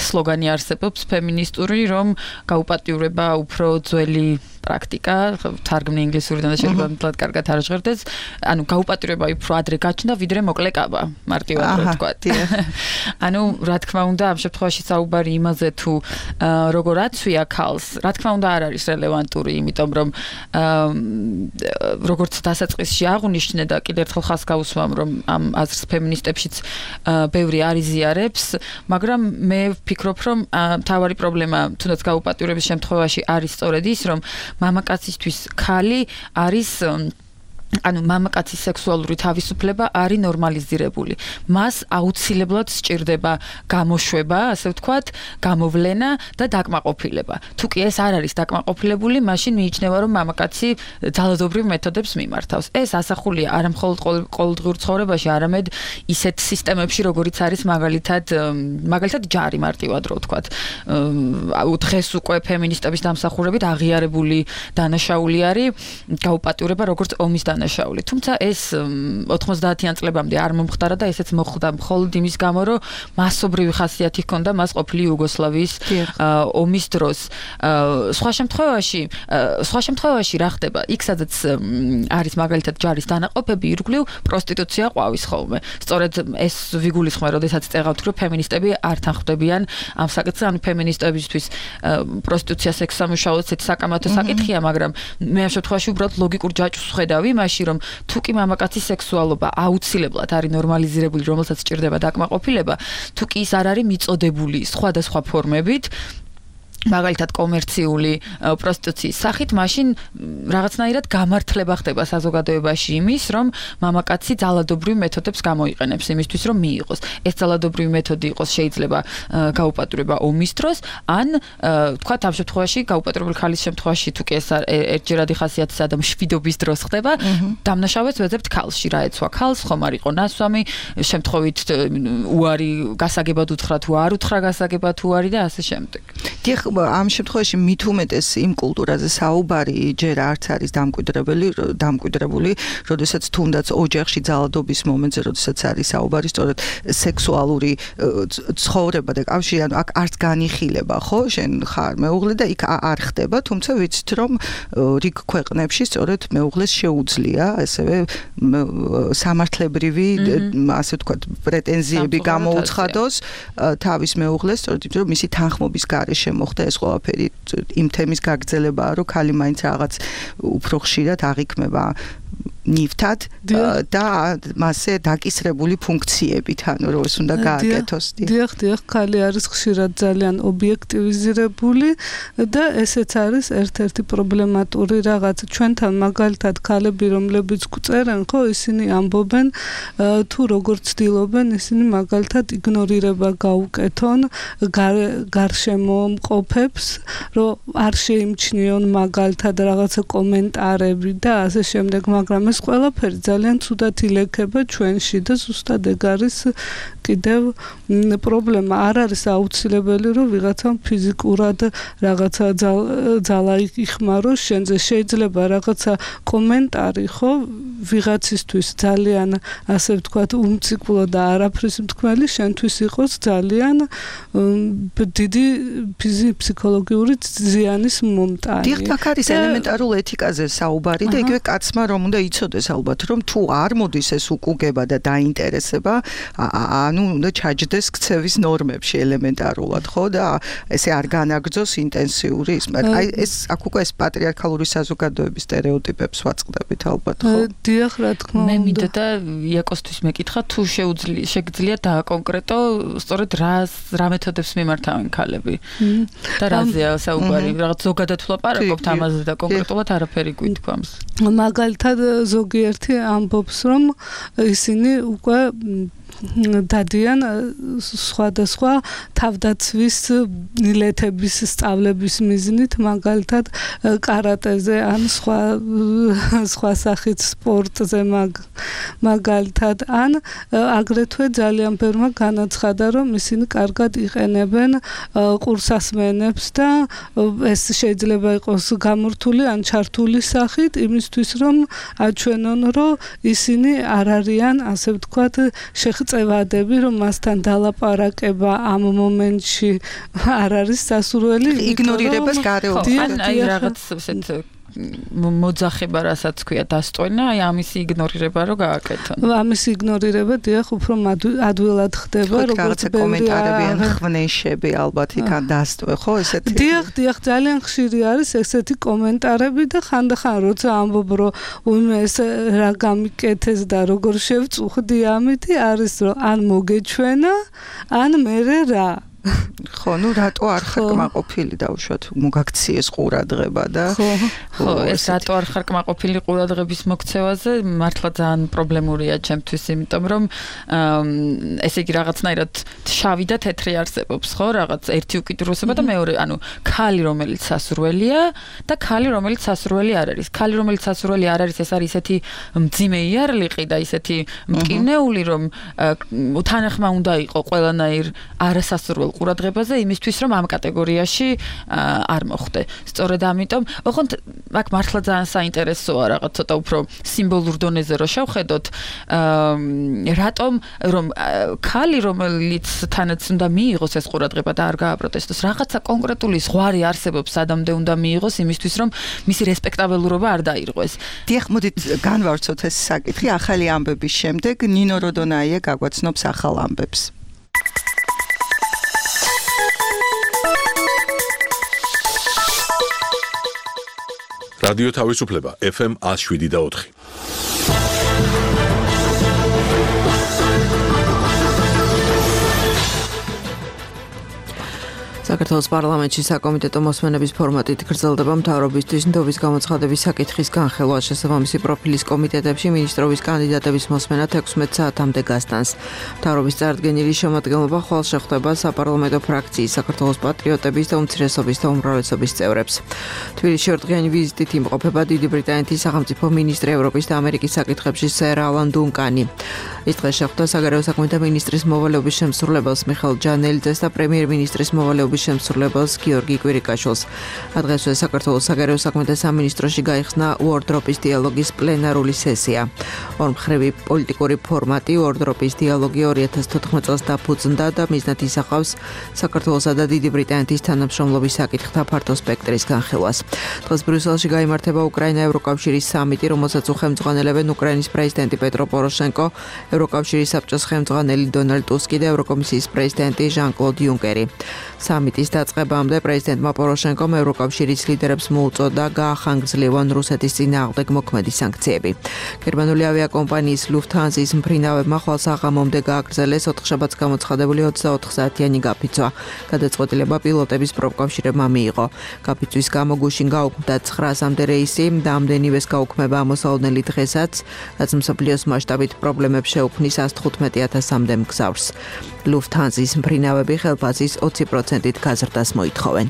სლოგანი არსებობს ფემინისტური, რომ გაუფატიურება უფრო ძველი პრაქტიკა, თარგმნი ინგლისურიდან და შეიძლება მთლად კარგად არ ჟღერდეს. ანუ გაუპატიურება უფრო ადრე გაჩნდა, ვიდრე მოკლეკაბა, მარტივად რო ვთქვათ. ანუ რა თქმა უნდა, ამ შემთხვევაში საუბარი იმაზე თუ როგორ აცვია ქალს, რა თქმა უნდა არ არის რელევანტური, იმიტომ რომ როგორც დასაწყისში აღნიშნე და კიდევ ერთხელ ხას გავუსვამ, რომ ამ აზრს ფემინისტებშიც ბევრი არ იზიარებს, მაგრამ მე ვფიქრობ, რომ მთავარი პრობლემა თუნდაც გაუპატიურების შემთხვევაში არის სწორედ ის, რომ მამაკაცისთვის ქალი არის ანუ მამაკაცის სექსუალური თავისუფლება არის ნორმალიზირებული. მას აუცილებლად სჭირდება გამოშვება, ასე ვთქვათ, გამოვლენა და დაკმაყოფილება. თუ კი ეს არ არის დაკმაყოფილებული, მაშინ მიიჩნევა, რომ მამაკაცი ძალადობრივ მეთოდებს მიმართავს. ეს ასახულია არა მხოლოდ ყოველდღიურ ცხოვრებაში, არამედ ისეთ სისტემებში, როგორიც არის მაგალითად, მაგალითად ჯარი მარტივად რო ვთქვათ. დღეს უკვე ფემინისტების დამსახურებით აღიარებული დანაშაული არის გაუპატიურება, როგორც ომის დანაშაული. დანაშაული. თუმცა ეს ოთხმოცდაათიან წლებამდე არ მომხდარა და ესეც მოხდა მხოლოდ იმის გამო, რომ მასობრივი ხასიათი ჰქონდა მას ყოფილი იუგოსლავიის ომის დროს. სხვა შემთხვევაში, სხვა შემთხვევაში რა ხდება? იქ სადაც არის მაგალითად ჯარის დანაყოფები, ირგვლივ პროსტიტუცია ყვავის ხოლმე. სწორედ ეს ვიგულისხმე, როდესაც წეღავთ, რომ ფემინისტები არ თანხმდებიან ამ საკითხზე, ანუ ფემინისტებისთვის პროსტიტუცია, სექსსამუშაოც ეს საკამათო საკითხია, მაგრამ მე ამ შემთხვევაში უბრალოდ ლოგიკურ ჯაჭვს ხედავი იმაში, რომ თუ კი მამაკაცის სექსუალობა აუცილებლად არის ნორმალიზირებული, რომელსაც სჭირდება დაკმაყოფილება, თუ კი ის არ არის მიწოდებული სხვადასხვა ფორმებით, მაგალითად კომერციული პროსტიტუციის სახით, მაშინ რაღაცნაირად გამართლება ხდება საზოგადოებაში იმის, რომ მამაკაცი ძალადობრივ მეთოდებს გამოიყენებს იმისთვის, რომ მიიღოს. ეს ძალადობრივი მეთოდი იყოს შეიძლება გაუპატრურება ომის დროს, ან თქვათ ამ შემთხვევაში გაუპატრურებული ხალის შემთხვევაში, თუ კი ეს ერთჯერადი ხასიათის და მშვიდობის დროს ხდება, დამნაშავეს ვეძებთ ქალში, რა ეცვა ქალს, ხომ არ იყო ნასვამი, შემთხვევით უარი გასაგებად უთხრა თუ არ უთხრა გასაგებად უარი და ასე შემდეგ. დიახ, ამ შემთხვევაში მით უმეტეს იმ კულტურაზე საუბარი ჯერ არც არის დამკვიდრებელი, დამკვიდრებული, როდესაც თუნდაც ოჯახში ძალადობის მომენტზე, როდესაც არის საუბარი სწორედ სექსუალური ცხოვრება და კავშირი, ანუ აქ არც განიხილება, ხო, შენ ხარ მეუღლე და იქ არ ხდება, თუმცა ვიცით, რომ რიგ ქვეყნებში სწორედ მეუღლეს შეუძლია ესევე სამართლებრივი, ასე ვთქვათ, პრეტენზიები გამოუცხადოს თავის მეუღლეს, სწორედ იმიტომ, რომ მისი თანხმობის გარეშე მოხდა ეს ყველაფერი, იმ თემის გაგრძელებაა, რომ ქალი მაინც რაღაც უფრო ხშირად აღიქმება ნივთად და მასზე დაკისრებული ფუნქციებით, ანუ რომ ეს უნდა გააკეთოს. დიახ, დიახ, ქალი არის ხშირად ძალიან ობიექტივიზირებული და ესეც არის ერთ-ერთი პრობლემატური რაღაც. ჩვენთან მაგალითად ქალები, რომლებიც გვწერენ, ხო, ისინი ამბობენ, თუ როგორ ცდილობენ ისინი მაგალითად იგნორირება გაუკეთონ გარშემო მყოფებს, რომ არ შეიმჩნიონ მაგალითად რაღაცა კომენტარები და ასე შემდეგ, მაგრამ ეს ყველაფერი ძალიან ცუდად ილექება ჩვენში და ზუსტად ეგ არის კიდევ პრობლემა. არ არის აუცილებელი, რომ ვიღაცამ ფიზიკურად რაღაცა ძალა იხმაროს შენზე. შეიძლება რაღაცა კომენტარი, ხო, ვიღაცისთვის ძალიან, ასე ვთქვათ, უმციკლო და არაფრის მთქმელი, შენთვის იყოს ძალიან დიდი ფსიქოლოგიური ზიანის მომტანი. დიახ, აქ არის ელემენტარულ ეთიკაზე საუბარი და იგივე კაცმა რომ უნდა იცოდეს ალბათ, რომ თუ არ მოდის ეს უკუგება და დაინტერესება, ანუ უნდა ჩაჯდეს ქცევის ნორმებში ელემენტარულად, ხო, და ესე არ განაგრძოს ინტენსიური ის, მაგრამ აი ეს აქ უკვე ეს პატრიარქალური საზოგადოების სტერეოტიპებს ვაწყდებით ალბათ, ხო? დიახ, რა თქმა უნდა. მე მინდოდა იაკოსთვის მეკითხა, თუ შეუძლია შეგძლია დააკონკრეტო სწორედ რა რა მეთოდებს მიმართავენ ქალები და რაზეა საუბარი, რაღაც ზოგადად ვლაპარაკობთ ამაზე და კონკრეტულად არაფერი გვითქვამს. მაგალითად ზოგიერთი ამბობს, რომ ისინი უკვე დადიან სხვადასხვა თავდაცვის ნილეთების სწავლების მიზნით, მაგალითად კარატეზე ან სხვა სხვა სახით სპორტზე, მაგალითად, ან აგრეთვე ძალიან ბევრმა განაცხადა, რომ ისინი კარგად იყენებენ ყურსასმენებს და ეს შეიძლება იყოს გამორთული ან ჩართული სახით, იმისთვის რომ აჩვენონ, რომ ისინი არ არიან, ასე ვთქვათ, წევადები, რომ მასთან დალაპარაკება ამ მომენტში არ არის სასურველი, იგნორირებას გარეუბნება. აი რაღაც ესეთ მოძახება, რასაც ქვია დასტვენა, აი ამისი იგნორირება რო გააკეთონ. ამისი იგნორირება დიახ უფრო ადვილად ხდება, როგორც კომენტარები ან ხვნეშები ალბათ იქან დასტვე, ხო, ესეთი. დიახ, დიახ, ძალიან ხშირი არის ესეთი კომენტარები და ხანდახან როცა ამბობ, რომ უიმე ეს რა გამიკეთეს და როგორ შევწუხდი ამითი, არის რომ ან მოგეჩვენა, ან მერე რა. ხო, ну რატო არ ხარ კმაყოფილი დაუშვათ მოგაქციეს ყურადღება და ხო, ეს რატო არ ხარ კმაყოფილი ყურადღების მოქცევაზე მართლა ძალიან პრობლემურია ჩემთვის, იმიტომ რომ ესე იგი რაღაცნაირად შავი და თეთრი არსებობს, ხო, რაღაც ერთი უკიდურესობა და მეორე, ანუ ქალი რომელიც სასურველია და ქალი რომელიც სასურველი არ არის. ქალი რომელიც სასურველი არ არის, ეს არის ისეთი მძიმე იარლიყი და ისეთი მტკივნეული, რომ თანახმა უნდა იყო ყველანაირ არასასურველ ყურადღებაზე იმისთვის რომ ამ კატეგორიაში არ მოხვდე. სწორედ ამიტომ, ოღონდ აქ მართლა ძალიან საინტერესოა რაღაც ცოტა უფრო სიმბოლურ დონეზე რო შევხედოთ, რატომ რომ ქალი რომელიც თანაც უნდა მიიღოს ეს ყურადღება და არ გააპროტესტოს, რაღაცა კონკრეტული ზღვარი არსებობს სადამდე უნდა მიიღოს იმისთვის რომ მისი რესპექტაბელურობა არ დაირღვეს. დიახ, მოდით განვავრცოთ ეს საკითხი ახალი ამბების შემდეგ. ნინო როდონაია გაგვაცნობს ახალ ამბებს. რადიო თავისუფლება ეფ ემ one oh seven და four. საქართველოს პარლამენტში საკომიტეტო მოსმენების ფორმატით გრძელდება მთავრობისთვის ნდობის გამოცხადების საკითხის განხილვა. შესაბამისი პროფილის კომიტეტებში მინისტრობის კანდიდატების მოსმენა თექვსმეტ საათამდე გასტანს. მთავრობის წარდგენილი შემადგენლობა ხვალ შეხვდება საპარლამენტო ფრაქციის, საქართველოს პატრიოტების და უმცირესობის და უმრავლესობის წევრებს. თბილისში ორდღიანი ვიზიტით იმყოფება დიდი ბრიტანეთის სახელმწიფო მინისტრი ევროპის და ამერიკის საკითხებში სერ ალან დუნკანი. ის დღეს შეხვდა საგარეო საქმეთა მინისტრის მოვალეობის შემსრულებელს მიხეილ ჯანელიძეს და პრემიერ-მინისტრის მოვალეობის შემსრულებელს გიორგი კვირიკაშვილს. დღესვე საქართველოს საგარეო საქმეთა სამინისტროში გაიხსნა უორდროპის დიალოგის პლენარული სესია. ორმხრივი პოლიტიკური ფორმატი უორდროპის დიალოგი ორი ათას თოთხმეტ წელს დაფუძნდა და მიზნად ისახავს საქართველოსა და დიდი ბრიტანეთის თანამშრომლობის საკითხთა ფართო სპექტრის განხილვას. დღეს ბრიუსელში გაიმართება უკრაინა-ევროკავშირის სამიტი, რომელსაც უხელმძღვანელებენ უკრაინის პრეზიდენტი პეტრო პოროშენკო, ევროკავშირის საბჭოს ხელმძღვანელი დონალდ ტუსკი და ევროკომისიის პრეზიდენტი ჟან-კლოდ იუნკერი. სამიტის დაწყებამდე პრეზიდენტმა პოროშენკომ ევროკავშირის ლიდერებს მოუწოდა გაახანგრძლივონ რუსეთის წინააღმდეგ მოქმედი სანქციები. გერმანული ავიაკომპანიის ლუფთჰანზის მფრინავებმა ხვალ საღამომდე გააგრძელეს ოთხშაბათს გამოცხადებული ოცდაოთხ საათიანი გაფიცვა. გადაწყვეტილება პილოტების პროფკავშირებმა მიიღო. გაფიცვის გამო გუშინ გაუქმდა ცხრაასამდე რეისი და ამდენივეს გაუქმება ამოსაოდნელი დღესაც, რაც მსოფლიოს მასშტაბით პრობლემებს შეუქმნის one hundred fifteen ათასამდე მგზავრს. ლუფთჰანზის მფრინავები ხელფასის twenty percent-ით გაზრდას მოითხოვენ.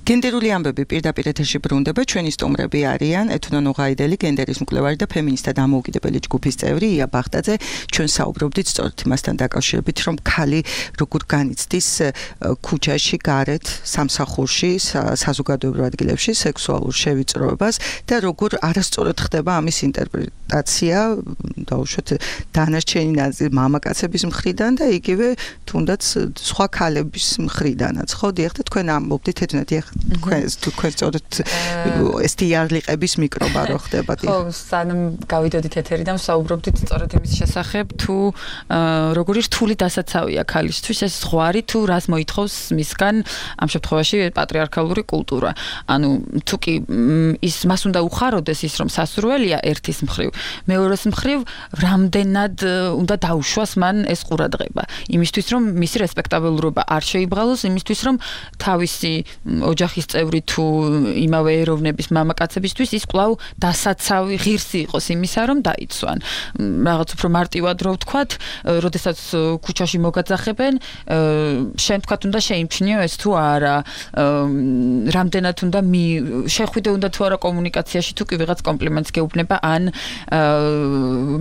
გენდერული ამბები პირდაპირ ეთერში ბრუნდება. ჩვენი სტუმრები არიან ეთნო ნუღაიდელი, გენდერის მკვლევარი და ფემინისტთა დამოუკიდებელი ჯგუფის წევრი ია ბახტაძე. ჩვენ საუბრობდით სწორედ იმასთან დაკავშირებით, რომ ქალი როგორ განიცდის ქუჩაში, გარეთ, სამსახურში, საზოგადოებრივ ადგილებში სექსუალურ შევიწროებას და როგორ არასწორად ხდება ამის ინტერპრეტაცია, დაუშვათ დანარჩენი ნაწილი მამაკაცების მხრიდან და იგივე თუნდაც სხვა ქალების მხრიდანაც. ხო, დიახ, და თქვენ ამბობდით ეთნო დიახ თქვენს თუ თქვენ სწორედ ეს დიალიყების მიკრობა რო ხდება. ხო, სანამ გავიდოდით ეთერიდან ვსაუბრობდით სწორედ იმის შესახებ, თუ როგორი რთული დასაცავია ქალისთვის ეს ზღვარი, თუ რას მოითხოვს მისგან ამ შემთხვევაში პატრიარქალური კულტურა. ანუ თუ კი ის მას უნდა უხაროდეს ის რომ სასურველია ერთის მხრივ, მეორეს მხრივ რამდენად უნდა დაუშვას მან ეს ყურადღება. იმისთვის რომ მისი რესპექტაბელურობა არ შეიბღალოს, იმისთვის რომ თავისი ოჯახის წევრი თუ იმავე ეროვნების მამაკაცებისთვის ის კვლავ დასაცავი ღირსი იყოს იმისა რომ დაიცვან. რაღაც უფრო მარტივად რო ვთქვათ, როდესაც ქუჩაში მოგაძახებენ, შენ თქვათ უნდა შეიმჩნიო ეს თუ არა, რამდენად უნდა შეხვიდე უნდა თუ არა კომუნიკაციაში, თუ კი ვიღაც კომპლიმენტს გეუბნება ან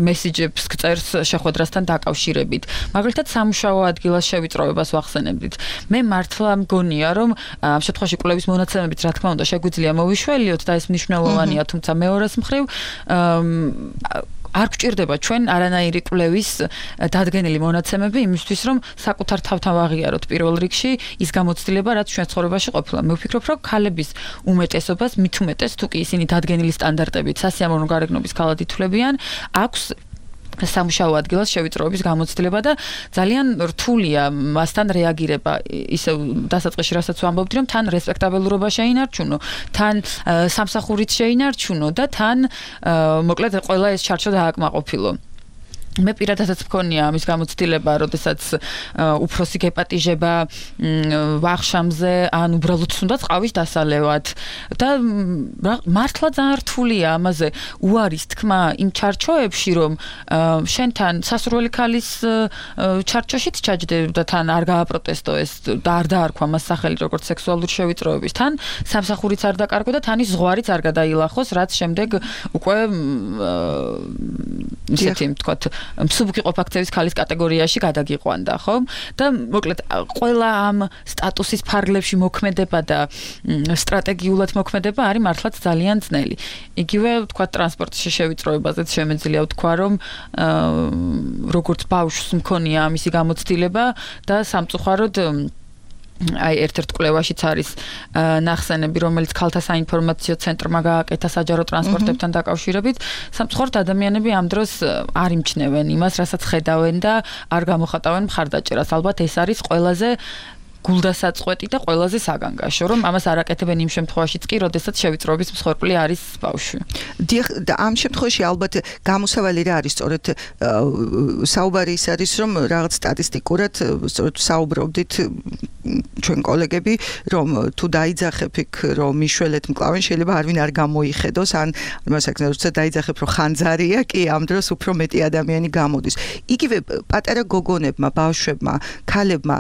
მესიჯებს გწერს შეხვედრასთან დაკავშირებით. მაგალითად სამუშაო ადგილას შევიწროებას ვახსენებდით. მე მართლა მგონია რომ ამ შემთხვევაში კვლევის მონაცემებით რა თქმა უნდა შეგვიძლია მოვიშველიოთ და ეს მნიშვნელოვანია, თუმცა მეორეს მხრივ არ გვჭირდება ჩვენ არანაირი კვლევის დადგენილი მონაცემები იმისთვის რომ საკუთარ თავთან ვაღიაროთ პირველ რიგში ის გამოცდილება რაც ჩვენ ცხოვრებაში ყოფილა. მე ვფიქრობ რომ ქალების უმეტესობას მით უმეტეს თუ კი ისინი დადგენილი სტანდარტებით სასიამოვნო გარეგნობის ქალად ითვლებიან, აქვს სამუშაო ადგილას შევიწროების გამოცდილება და ძალიან რთულია მასთან რეაგირება. ისევ დასაწყისში რასაც ვამბობდი რომ თან რესპექტაბელურობა შეინარჩუნო, თან სამსახურით შეინარჩუნო და თან მოკლედ ყველა ეს ჩარჩო დააკმაყოფილო. მე პირადადაც მქონია ამის გამოცდილება, როდესაც უფროსი გეპატიჟება ვახშამზე, ან უბრალოდ უნდა ყავის დასალევად და მართლა ძალიან რთულია ამაზე უარის თქმა იმ ჩარჩოებში, რომ შენთან სასურველი ქალის ჩარჩოშიც ჩაჯდებ და თან არ გააპროტესტო ეს და არ დაარქვა მას სახელი როგორც სექსუალური შევიწროების, თან სამსახურიც არ დაკარგო და თან ის ზღვარიც არ გადაილახოს, რაც შემდეგ უკვე ისეთი ვთქვათ მსუბუქი ყოფაქცევის ქალის კატეგორიაში გადაგიყვანდა, ხო? და მოკლედ ყველა ამ სტატუსის ფარგლებში მოქმედება და სტრატეგიულად მოქმედება არის მართლაც ძალიან ძნელი. იგივე ვთქვათ ტრანსპორტში შევიწროებაზეც შემეძლია ვთქვა, რომ როგორც ბავშვს მქონია ამისი გამოცდილება და სამწუხაროდ აი ერთ-ერთ კვლევაშიც არის ნახსენები, რომელიც ქალთა საინფორმაციო ცენტრმა გააკეთა საჯარო ტრანსპორტებთან დაკავშირებით. სამწუხაროდ ადამიანები ამ დროს არ იმჩნევენ იმას, რასაც ხედავენ და არ გამოხატავენ მხარდაჭერას. ალბათ ეს არის ყველაზე გულდასაწყვეტი და ყველაზე საგანგაშო, რომ ამას არ აკეთებენ იმ შემთხვევაშიც კი, როდესაც შევიწროების მსხვერპლი არის ბავშვი. დიახ, და ამ შემთხვევაში ალბათ გამოსავალი რა არის, სწორედ საუბარი ის არის, რომ რაღაც სტატისტიკურად სწორედ საუბრობდით ჩვენ კოლეგები, რომ თუ დაიძახებ იქ, რომ მიშველეთ მკლავენ, შეიძლება არვინ არ გამოიხედოს, ან მასაკნე როცა დაიძახებ, რომ ხანძარია, კი ამ დროს უფრო მეტი ადამიანი გამოდის. იგივე პატარა გოგონებმა, ბავშვებმა, ქალებმა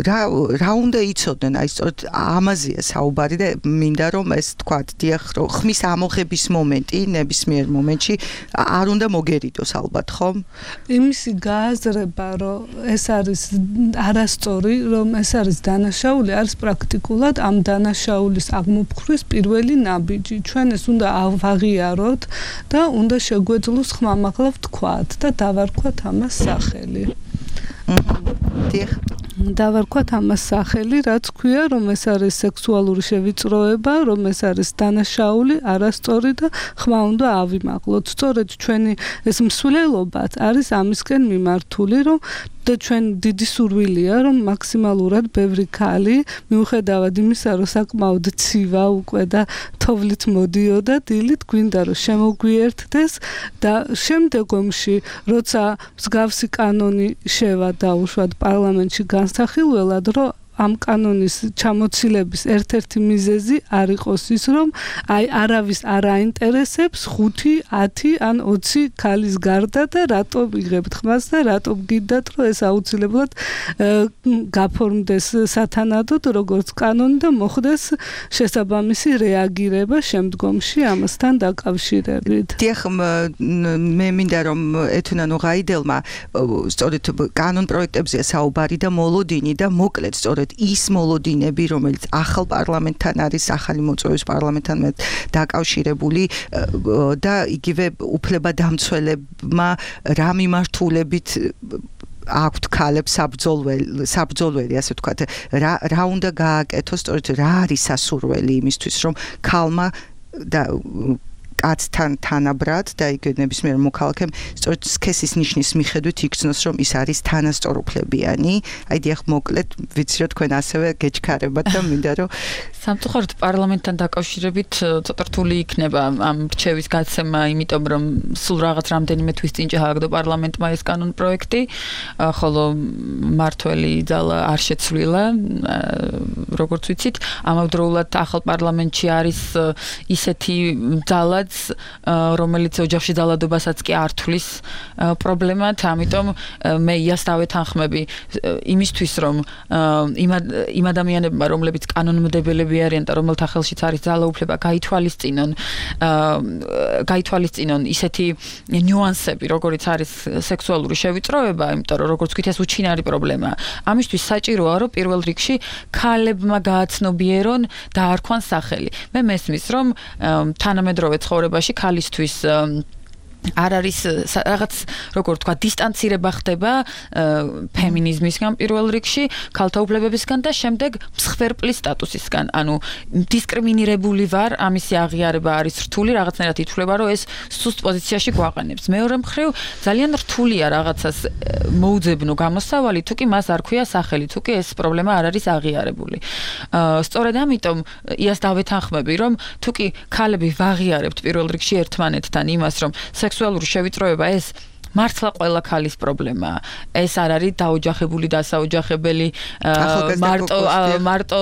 რა რა უნდა იცოდნენ, აი სწორედ ამაზეა საუბარი და მინდა რომ ეს თქვათ, დიახ, რომ ხმის ამოღების მომენტი ნებისმიერ მომენტში არ უნდა მოგერიდოს ალბათ, ხომ? იმისი გააზრება, რომ ეს არის არასწორი, რომ ეს არის დანაშაული, არის პრაქტიკულად ამ დანაშაულის აღმოფხვრის პირველი ნაბიჯი. ჩვენ ეს უნდა ავაღიაროთ და უნდა შეგვეძლოს ხმამაღლა ვთქვათ და დავარქვათ ამას სახელი. დიახ. დავარქვათ ამას სახელი, რაც ქვია, რომ ეს არის სექსუალური შევიწროება, რომ ეს არის დანაშაული, არასწორი და ხმა უნდა ავიმაღლოთ. სწორედ ჩვენი ეს მსვლელობაც არის ამისკენ მიმართული, რომ და ჩვენ დიდი სურვილია, რომ მაქსიმალურად ბევრი ქალი, მიუხედავად იმისა, რომ საკმაოდ ცივა უკვე და თოვლით მოდიოდა, დილით გვინდა რომ შემოგვიერთდეს და შემდეგ ომში, როცა მსგავსი კანონი შევა დაუშვათ პარლამენტში განსახილველად, რომ ამ კანონის ჩამოცილების ერთ-ერთი მიზეზი არ იყოს ის, რომ აი არავის არ აინტერესებს ხუთი, ათი ან ოცი ქალის გარდა და რატომ იღებთ ხმას და რატომ გიდათ, რომ ეს აუცილებლად გაფორმდეს სათანადოდ როგორც კანონი და მოხდეს შესაბამისი რეაგირება შემდგომში ამასთან დაკავშირებით. დიახ, მე მინდა რომ ეთუნანო გაიდელმა სწორედ კანონ პროექტებზე საუბარი და მოლოდინი და მოკლედ სწორედ ის მოლოდინები, რომელიც ახალ პარლამენტთან არის, ახალი მოწვევის პარლამენტთან დაკავშირებული და იგივე უფლებადამცველებმა რა მიმართულებით აქვთ ქალებს საბრძოლველი, საბრძოლველი, ასე ვთქვათ, რა რა უნდა გააკეთოს, სწორედ რა არის სასურველი იმისთვის, რომ ქალმა და კაცთან თანაბრად და იგივე ნებისმიერ მოქალაქემ სწორედ სქესის ნიშნის მიხედვით იქცნოს, რომ ის არის თანასწორუფლებიანი. აი დიახ, მოკლედ ვიცი რომ თქვენ ასევე გეჩქარებათ და მინდა რომ სამწუხაროდ პარლამენტთან დაკავშირებით ცოტა რთული იქნება ამ რჩევის გაცემა, იმიტომ რომ სულ რაღაც რამდენიმე თვის წინ ჩააგდო პარლამენტმა ეს კანონ პროექტი, ხოლო მართველი ძალა არ შეცვლილა, როგორც ვიცით, ამავდროულად ახალ პარლამენტში არის ისეთი ძალა რომელიც ოჯახში ძალადობასაც კი არ თulis პრობლემად, ამიტომ მე იას დავეთანხმები იმისთვის, რომ იმ ადამიანებმა, რომლებიც კანონმდებელები არიან და რომელთა ხელშიც არის ძალაუფლება, გაითვალისწინონ გაითვალისწინონ ისეთი ნიუანსები, როგორიც არის სექსუალური შევიწროება, იმიტომ რომ როგორც ვთქვით, ეს უჩინარი პრობლემაა. ამისთვის საჭიროა, რომ პირველ რიგში ქალებმა გააცნობიერონ და არქვან სახელი. მე მესმის, რომ თანამედროვე ცხოვრებაში ქალისთვის არ არის რაღაც როგორ თქვა დისტანცირება ხდება ფემინიზმისგან პირველ რიგში, ქალთა უფლებებისგან და შემდეგ მსხვერპლის სტატუსისგან. ანუ დისკრიმინირებული ვარ, ამისი აღიარება არის რთული, რაღაცნაირად ითვლება, რომ ეს სუსტ პოზიციაში გვაყენებს. მეორე მხრივ ძალიან რთულია რაღაცას მოუძებნო გამოსავალი, თუ კი მას არ ქვია სახელი, თუ კი ეს პრობლემა არ არის აღიარებული. სწორედ ამიტომ იას დავეთანხმები, რომ თუ კი ქალები ვაღიარებთ პირველ რიგში ერთმანეთთან იმას, რომ სექსუალური შევიწროება ეს მართლა ყველა ქალის პრობლემაა. ეს არ არის დაოჯახებული დასაოჯახებელი მარტო მარტო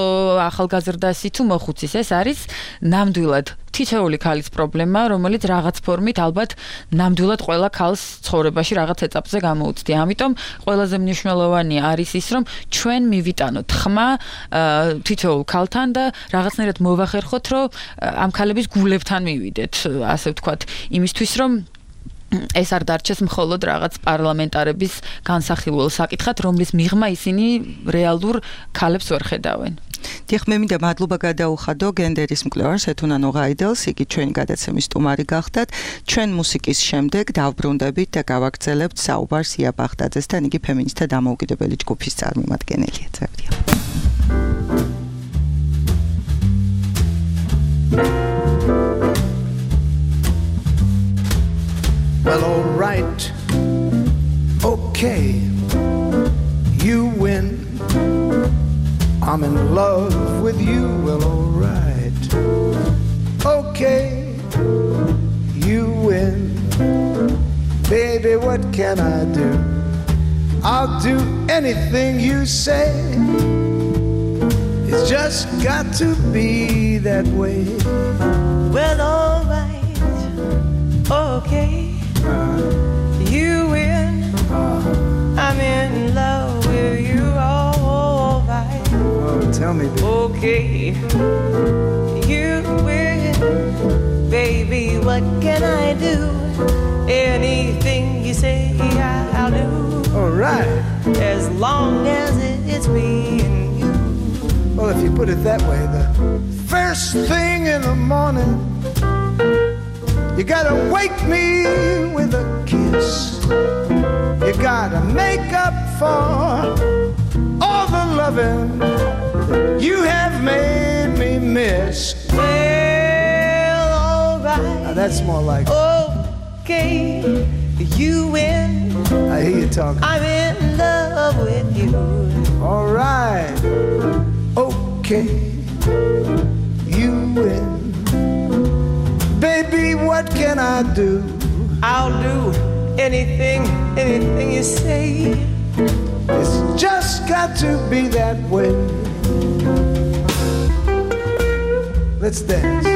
ახალგაზრდასი თუ მოხუცის, ეს არის ნამდვილად თითოეული ქალის პრობლემა, რომელიც რაღაც ფორმით ალბათ ნამდვილად ყველა ქალს ცხოვრებაში რაღაც ეტაპზე გამოუცდია. ამიტომ ყველაზე მნიშვნელოვანი არის ის, რომ ჩვენ მივიტანოთ ხმა თითოეულ ქალთან და რაღაცნაირად მოვახერხოთ, რომ ამ ქალების გულებთან მივიდეთ, ასე ვთქვათ, იმისთვის, რომ ეს არ დარჩეს მხოლოდ რაღაც პარლამენტარების განსახილველ საკითხად, რომლის მიღმა ისინი რეალურ ქალებს ვერ ხედავენ. დიახ, მე მინდა მადლობა გადაუხადო გენდერის მკვლევარს ეთუნა ნოღაიდელს, იგი ჩვენი გადაცემის სტუმარი გახდათ. ჩვენ მუსიკის შემდეგ დავბრუნდებით და გავაგრძელებთ საუბარს ია ბაღდაძესთან, იგი ფემინისტთა დამოუკიდებელი ჯგუფის წარმომადგენელია. წევდია. Well, all right, okay, you win. I'm in love with you. Well, all right, okay, you win. Baby, what can I do? I'll do anything you say. It's just got to be that way. Well, all right, okay. You win. I'm in love with you, all right. Oh, tell me, baby. Okay. You win. Baby, what can I do? Anything you say, I'll do. All right. As long as it's me and you. Well, if you put it that way, the first thing in the morning, you gotta wake me with a kiss. You gotta make up for all the loving you have made me miss. Well, all right. Now that's more like okay, you win. I hear you talking. I'm in love with you. All right, okay, you win. Baby, what can I do? I'll do anything, anything you say. It's just got to be that way. Let's dance.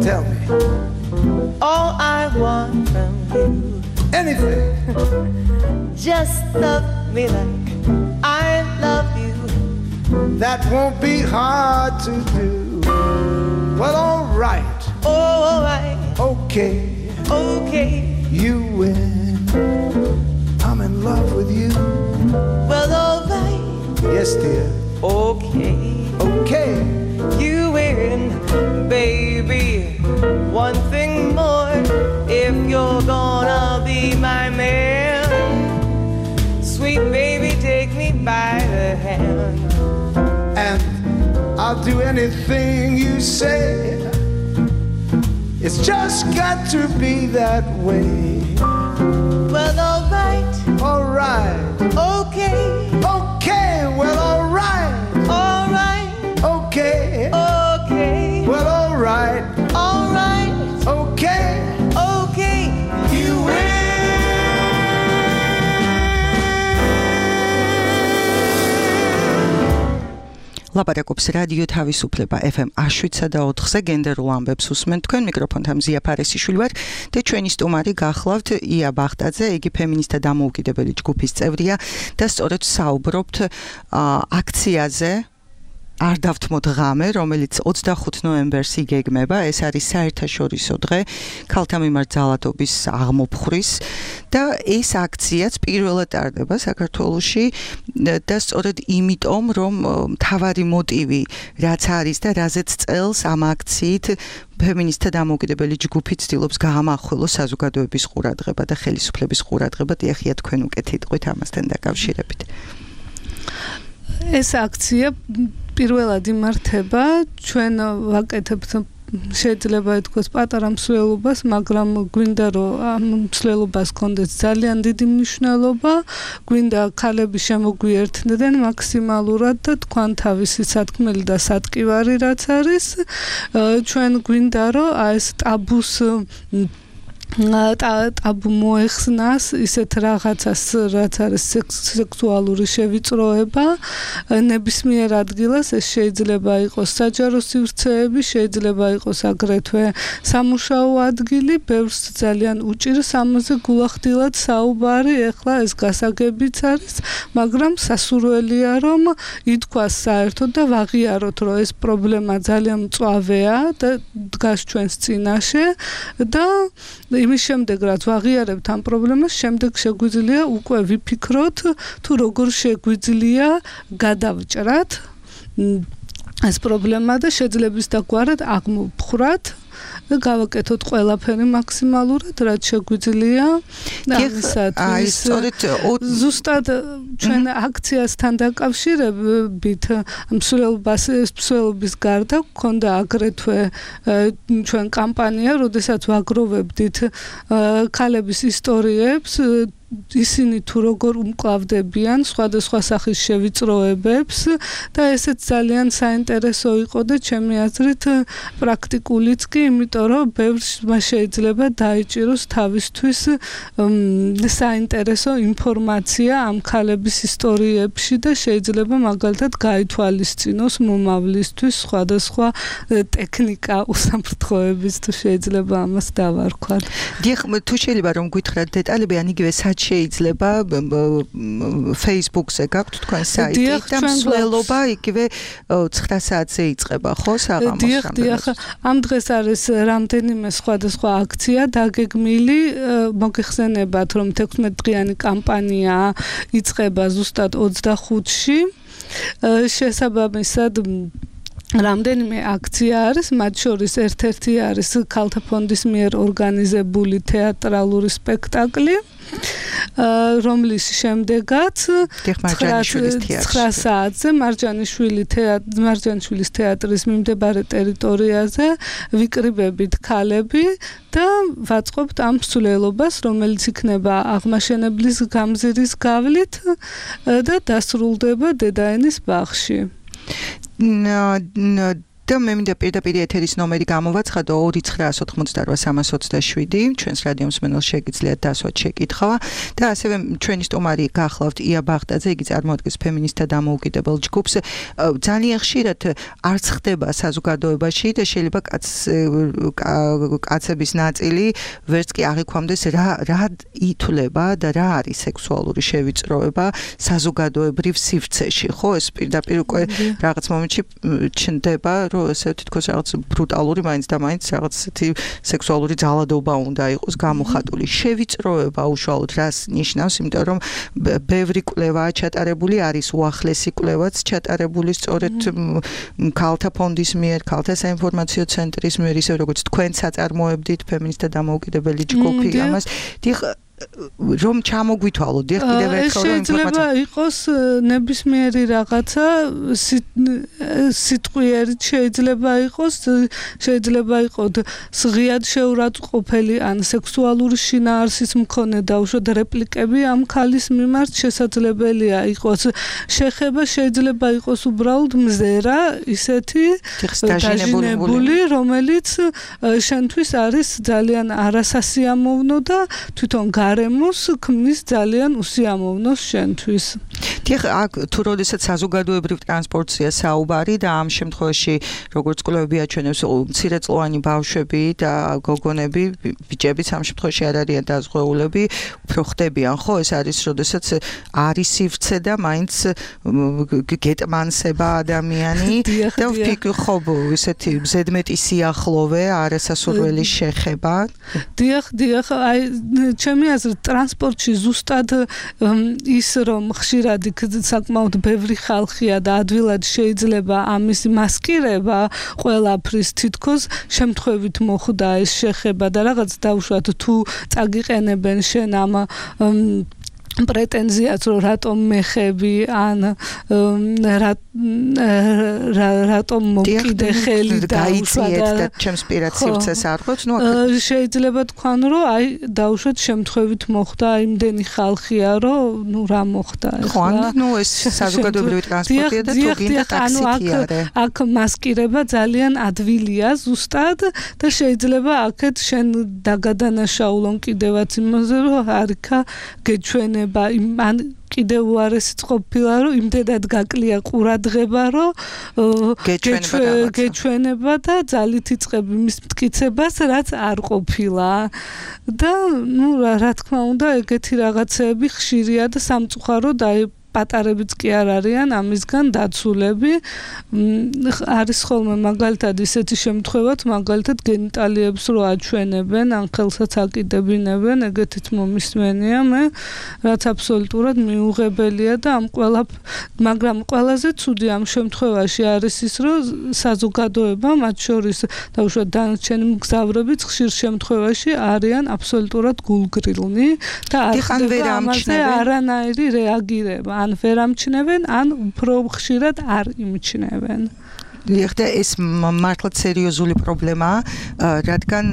Tell me. All I want from you. Anything. Just love me like I love you. That won't be hard to do. Well, all right. Oh, all right. Okay. Okay. You win. I'm in love with you. Well, all right. Yes, dear. Okay. Okay. You win, baby. One thing more, if you're gonna be my man, sweet baby, take me by the hand. And I'll do anything you say. It's just got to be that way. Well, all right. All right. Okay. Okay. Well, all right. All right. Okay. Okay. Well, all right. All right. Okay. Okay. You win. ლაპარაკობს რადიო თავისუფლება ეფ ემ one oh seven და ოთხზე გენდერულ ამბებს უსმენთ თქვენ მიკროფონთან მზია ფარესიშვილი ვარ და ჩვენი სტუმარი გახლავთ ია ბაღდაძე, იგი ფემინისტთა დამოუკიდებელი ჯგუფის წევრია და სწორედ საუბრობთ აქციაზე არ დავთმოთ ღამე, რომელიც ოცდახუთ ნოემბერს იგეგმება, ეს არის საერთაშორისო დღე ქალთა მიმართ ძალადობის აღმოფხვრის და ეს აქციაც პირველად ტარდება საქართველოში და სწორედ იმიტომ, რომ მთავარი მოტივი რაც არის და რაზეც წელს ამ აქციით ფემინისტთა დამოუკიდებელი ჯგუფი ცდილობს გაამახვილოს საზოგადოების ყურადღება და ხელისუფლების ყურადღება. დიახია, თქვენ უკეთ იტყვით ამასთან დაკავშირებით. ეს აქცია პირველად იმართება, ჩვენ ვაკეთებთ შეიძლება ითქვას პატარა მსვლელობას, მაგრამ გვინდა რომ ამ მსვლელობას კონდეს ძალიან დიდი მნიშვნელობა, გვინდა ქალები შემოგვიერთდნენ მაქსიმალურად და თქვან თავისი სათქმელი და სატკივარი რაც არის, ჩვენ გვინდა რომ ეს ტაბუს ტაბუ მოეხსნას ისეთ რაღაცას, რაც არის სექსუალური შევიწროება, ნებისმიერ ადგილას ეს შეიძლება იყოს საჯარო სივრცეები, შეიძლება იყოს აგრეთვე სამუშაო ადგილი, ბევრს ძალიან უჭირს ამაზე გულახდილად საუბარი, ეხლა ეს გასაგებიც არის, მაგრამ სასურველია რომ ითქვას საერთოდ და ვაღიაროთ, რომ ეს პრობლემა ძალიან მწვავეა და დგას ჩვენს წინაშე და იმის შემდეგ რაც ვაღიარებთ ამ პრობლემას, შემდეგ შეგვიძლია უკვე ვიფიქროთ თუ როგორ შეგვიძლია გადავჭრათ ეს პრობლემა და შეძლების დაგვარად აღმოვხვრათ და გავაკეთოთ ყველაფერი მაქსიმალურად, რაც შეგვიძლია. ამისათვის ზუსტად ჩვენ აქციასთან დაკავშირებით მსვლელობის გარდა გქონდა აგრეთვე ჩვენ კამპანია, როდესაც ვაგროვებდით ქალების ისტორიებს, ისინი თუ როგორ უმკლავდებიან სხვადასხვა სახის შევიწროებებს და ესეც ძალიან საინტერესო იყო და ჩემი აზრით პრაქტიკულიც კი, იმიტომ რომ ბევრს შეიძლება დაიჭიროს თავისთვის საინტერესო ინფორმაცია ამ ქალების ისტორიებში და შეიძლება მაგალითად გაითვალისწინოს მომავლისთვის სხვადასხვა ტექნიკა უსაფრთხოების თუ შეიძლება ამას დავარქვათ. დიახ, თუ შეიძლება რომ გითხრათ დეტალები, ან იგივე შეიძლება Facebook-ზე გაქვთ თქვენ საიტი და მსვლელობა იგივე ცხრა საათზე იწყება, ხო, საღამოს? დიახ, დიახ, ამ დღეს არის რამდენიმე სხვადასხვა აქცია დაგეგმილი, მოგეხსენებათ, რომ თექვსმეტდღიანი კამპანია იწყება ზუსტად ოცდახუთში. შესაბამისად რამდენიმე აქცია არის, მათ შორის ერთ-ერთი არის ქალთა ფონდის მიერ ორგანიზებული თეატრალური სპექტაკლი, რომლის შემდეგაც ცხრა საათზე მარჯანიშვილის თეატრის მიმდებარე ტერიტორიაზე ვიკრიბებით ქალები და ვაწყობთ ამ მსვლელობას, რომელიც იქნება აღმაშენებლის გამზირის გავლით და დასრულდება დედაენის ბაღში. და მე მინდა პირდაპირ ეთერის ნომერი გამოვაცხადო ორი ცხრა ოთხმოცდაოთხ სამას ოცდაშვიდი, ჩვენს რადიო მსმენელს შეგიძლიათ დასვათ შეკითხვა და ასევე ჩვენი სტუმარი გახლავთ ია ბაღდაძე, იგი წარმოადგენს ფემინისტთა დამოუკიდებელ ჯგუფს. ძალიან ხშირად არც ხდება საზოგადოებაში და შეიძლება კაცების ნაწილი ვერც კი აღიქვამდეს რა რა ითვლება და რა არის სექსუალური შევიწროება საზოგადოებრივ სივრცეში, ხო? ეს პირდაპირ უკვე რაღაც მომენტში ჩნდება ესე თითქოს რაღაც ბრუტალური მაინც და მაინც რაღაც ისეთი სექსუალური ძალადობა უნდა იყოს გამოხატული. შევიწროება უშუალოდ რას ნიშნავს, იმიტომ რომ ბევრი კვლევაა ჩატარებული, არის უახლესი კვლევაც ჩატარებული სწორედ ქალთა ფონდის მიერ, ქალთა საინფორმაციო ცენტრის მიერ, ისე როგორც თქვენ საწარმოებდით ფემინისტთა დამოუკიდებელი ჯგუფი ამას. დიახ, რომ ჩამოგვითვალოთ, დიახ, კიდევ ერთხელ რომ ინფორმაცია შეიძლება იყოს ნებისმიერი რაღაცა სიტყვიერი შეიძლება იყოს, შეიძლება იყოს სღიად შეურაცხყოფელი ან სექსუალური შინაარსის მქონე დაუშვათ რეპლიკები ამ ქალის მიმართ შესაძლებელია იყოს შეხება, შეიძლება იყოს უბრალოდ მზერა ისეთი დაჟინებული, რომელიც შენთვის არის ძალიან არასასიამოვნო და თვითონ გარემოს ქმნის ძალიან უსიამოვნოს შენთვის. დიახ, აქ თუ როდესაც საზოგადოებრივ ტრანსპორტია საუბარი და ამ შემთხვევაში როგორც კვლევები აჩვენებს, მცირეწლოვანი ბავშვები და გოგონები, ბიჭებიც ამ შემთხვევაში არ არიან დაზღვეულები, უფრო ხდებიან, ხო? ეს არის როდესაც არის სივრცე და მაინც გეტმანსება ადამიანი და ვფიქრობ, ხო, ესეთი ზედმეტი სიახლოვე, არასასურველი შეხება. დიახ, დიახ, აი ჩემი აზრით ტრანსპორტში ზუსტად ის რომ ხშირად საკმაოდ ბევრი ხალხია და ადვილად შეიძლება ამის მასკირება ყველაფრის თითქოს შემთხვევით მოხდა ეს შეხება და რაღაც დაუშვათ თუ წაგიყენებენ შენ ამ პრეტენზიას რომ რატომ მეხები ან რატომ მოკიდე ხელი დაუშვათ და ჩემს პირად სივრცეს არ ყოფს, ნუ შეიძლება თქვან რომ აი დაუშვათ შემთხვევით მოხდა იმდენი ხალხია რომ ნუ რა მოხდა ხო ნუ ეს საზოგადოებრივი ტრანსპორტია და თუ გინდა ტაქსი არა აქ მასკირება ძალიან ადვილია ზუსტად და შეიძლება აქეთ შენ დაგადანაშაულონ კიდევაც იმაზე რომ არიქა გეჩვენე ან კიდევ უარესიც ყოფილა რომ იმდენად გაკლია ყურადღება რომ გეჩვენება და ძალით იწყები მის მტკიცებას რაც არ ყოფილა და ნუ რა თქმა უნდა ეგეთი რაღაცეები ხშირია და სამწუხაროდ აი პატარებიც კი არ არიან ამისგან დაცულები არის ხოლმე მაგალითად ისეთი შემთხვევაც მაგალითად გენიტალიებს რო აჩვენებენ ან ხელსაც აკიდებინებენ ეგეთიც მომისმენია მე რაც აბსოლუტურად მიუღებელია და ამ ყველა მაგრამ ყველაზე ცუდი ამ შემთხვევაში არის ის რომ საზოგადოება მათ შორის დაუშვათ დანარჩენი მგზავრებიც ხშირ შემთხვევაში არიან აბსოლუტურად გულგრილნი და არ ხდება ამაზე არანაირი რეაგირება ან ვერ ამჩნევენ, ან უფრო ხშირად არ იმჩნევენ. ეხლა ეს მართლაც სერიოზული პრობლემაა, რადგან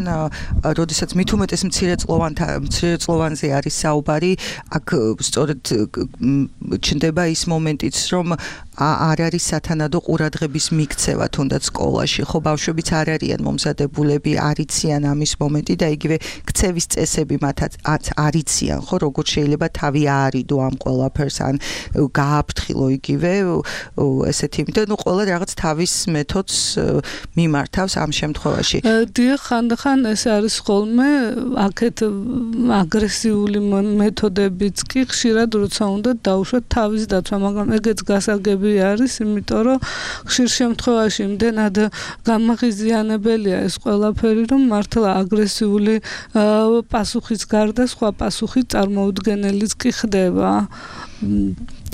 როდესაც მით უმეტეს მცირეწლოვანთა მცირეწლოვანზე არის საუბარი, აქ სწორედ ჩნდება ის მომენტიც, რომ არ არის სათანადო ყურადღების მიქცევა თუნდაც სკოლაში, ხო ბავშვებიც არ არიან მომზადებულები, არ იციან ამის მომენტი და იგივე ქცევის წესები მათაც არ იციან, ხო როგორ შეიძლება თავი აარიდო ამ ყველაფერს ან გააფრთხილო იგივე ესეთი იმიტომ, ნუ ყველა რაღაც თავის მეთოდს მიმართავს ამ შემთხვევაში. დიახ, ხანდახან ეს არის ხოლმე აქეთ აგრესიული მეთოდებიც კი ხშირად როცა უნდა დაუშვათ თავის დაცვა, მაგრამ ეგეც გასაგები არის, იმიტომ რომ ხშირ შემთხვევაში იმდენად გამაღიზიანებელია ეს ყველაფერი, რომ მართლა აგრესიული პასუხის გარდა სხვა პასუხი წარმოუდგენელიც კი ხდება.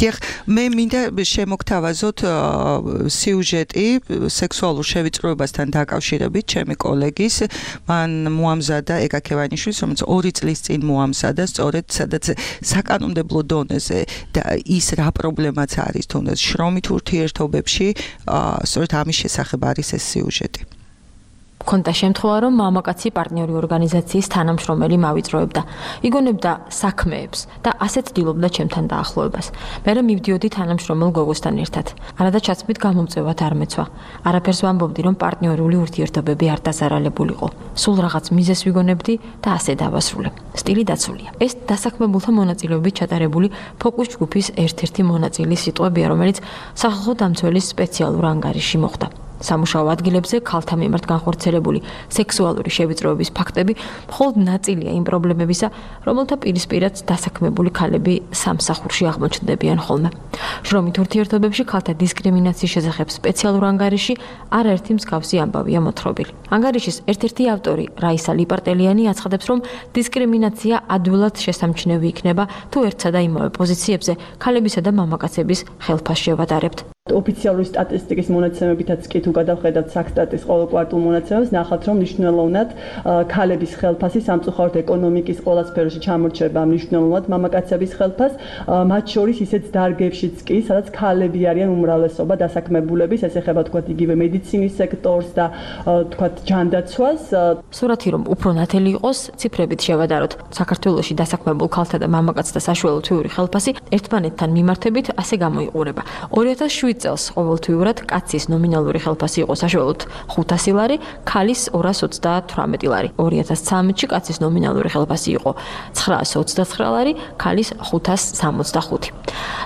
დიახ, მე მინდა შემოგთავაზოთ სიუჟეტი სექსუალურ შევიწროებასთან დაკავშირებით ჩემი კოლეგის, მან მოამზადა ეგა ქევანიშვილის, რომელიც ორი წლის წინ მოამზადა, სწორედ სადაც საკანონმდებლო დონეზე და ის რა პრობლემაც არის თუნდაც შრომით ურთიერთობებში, სწორედ ამის შესახებ არის ეს სიუჟეტი. Კონდა შემთხვევა, რომ მამაკაცი პარტნიორი ორგანიზაციის თანამშრომელი მავიწროებდა. იგონებდა საქმეებს და ასე ცდილობდა ჩემთან დაახლოებას. მე მივდიოდი თანამშრომელ გოგოსთან ერთად. არადა ჩაცმით გამომწვევად არ მეცვა. არაფერს ვამბობდი, რომ პარტნიორული ურთიერთობები არ დაზარალებულიყო. სულ რაღაც მიზეს ვიგონებდი და ასე დავასრულე. სტილი დაცულია. ეს დასაქმებულთა მონაწილეობით ჩატარებული ფოკუს ჯგუფის ერთ-ერთი მონაწილის სიტყვებია, რომელიც სახალხო დამცველის სპეციალურ ანგარიში მოხდა. სამუშაო ადგილებზე ქალთა მიმართ განხორციელებული სექსუალური შევიწროების ფაქტები მხოლოდ ნაწილია იმ პრობლემებისა, რომელთა პირისპირაც დასაქმებული ქალები სამსახურში აღმოჩნდებიან ხოლმე. შრომით ურთიერთობებში ქალთა დისკრიმინაციის შესახებ სპეციალურ ანგარიში არაერთი მსგავსი ამბავია მოთხრობილი. ანგარიშის ერთ-ერთი ავტორი რაისა ლიპარტელიანი აცხადებს, რომ დისკრიმინაცია ადვილად შესამჩნევი იქნება, თუ ერთსა და იმავე პოზიციებზე ქალებისა და მამაკაცების ხელფას შევადარებთ. ოფიციალური სტატისტიკის მონაცემებითაც კი თუ გადავხედავთ საქსტატის ყოველ კვარტალ მონაცემებს, ნახავთ, რომ მნიშვნელოვნად ქალების ხელფასი სამწუხაროდ ეკონომიკის ყველა სფეროში ჩამორჩება მნიშვნელოვნად მამაკაცების ხელფას, მათ შორის ისეთ დარგებშიც კი, სადაც ქალები არიან უმრავლესობა დასაქმებულების, ეს ეხება თქვათ იგივე მედიცინის სექტორს და თქვათ ჯანდაცვას. სურათი რომ უფრო ნათელი იყოს, ციფრებით შევადაროთ. საქართველოში დასაქმებულ ქალთა და მამაკაცთა საშუალო თვიური ხელფასი ერთმანეთთან მიმართებით ასე გამოიყურება. ორი ათას შვიდ შვიდ წელს ყოველთვიურად კაცის ნომინალური ხელფასი იყო საშუალოდ ხუთასი ლარი, ქალის ორას ოცდათვრამეტი ლარი. ორი ათას ცხრამეტში კაცის ნომინალური ხელფასი იყო ცხრაას ოცდაცხრა ლარი, ქალის ხუთას სამოცდახუთი.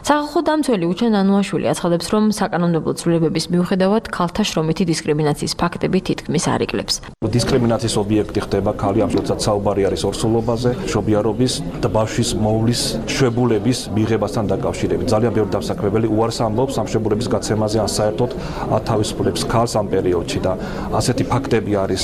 სახალხო დამცველი უჩენ ანუაშვილი აცხადებს, რომ საკანონმდებლო ცვლილებების მიუხედავად ქალთა შრომითი დისკრიმინაციის ფაქტები თითქმის არ იკლებს. დისკრიმინაციის ობიექტი ხდება ქალი, ამ შემთხვევაში საუბარი არის ორსულობაზე, მშობიარობის და ბავშვის მოვლის შვებულების მიღებასთან დაკავშირებით. ძალიან ბევრი დამსაქმებელი უარს ამბობს ამ შვებულების გაცემაზე, ან საერთოდ ათავისუფლებს ქალს ამ პერიოდში და ასეთი ფაქტები არის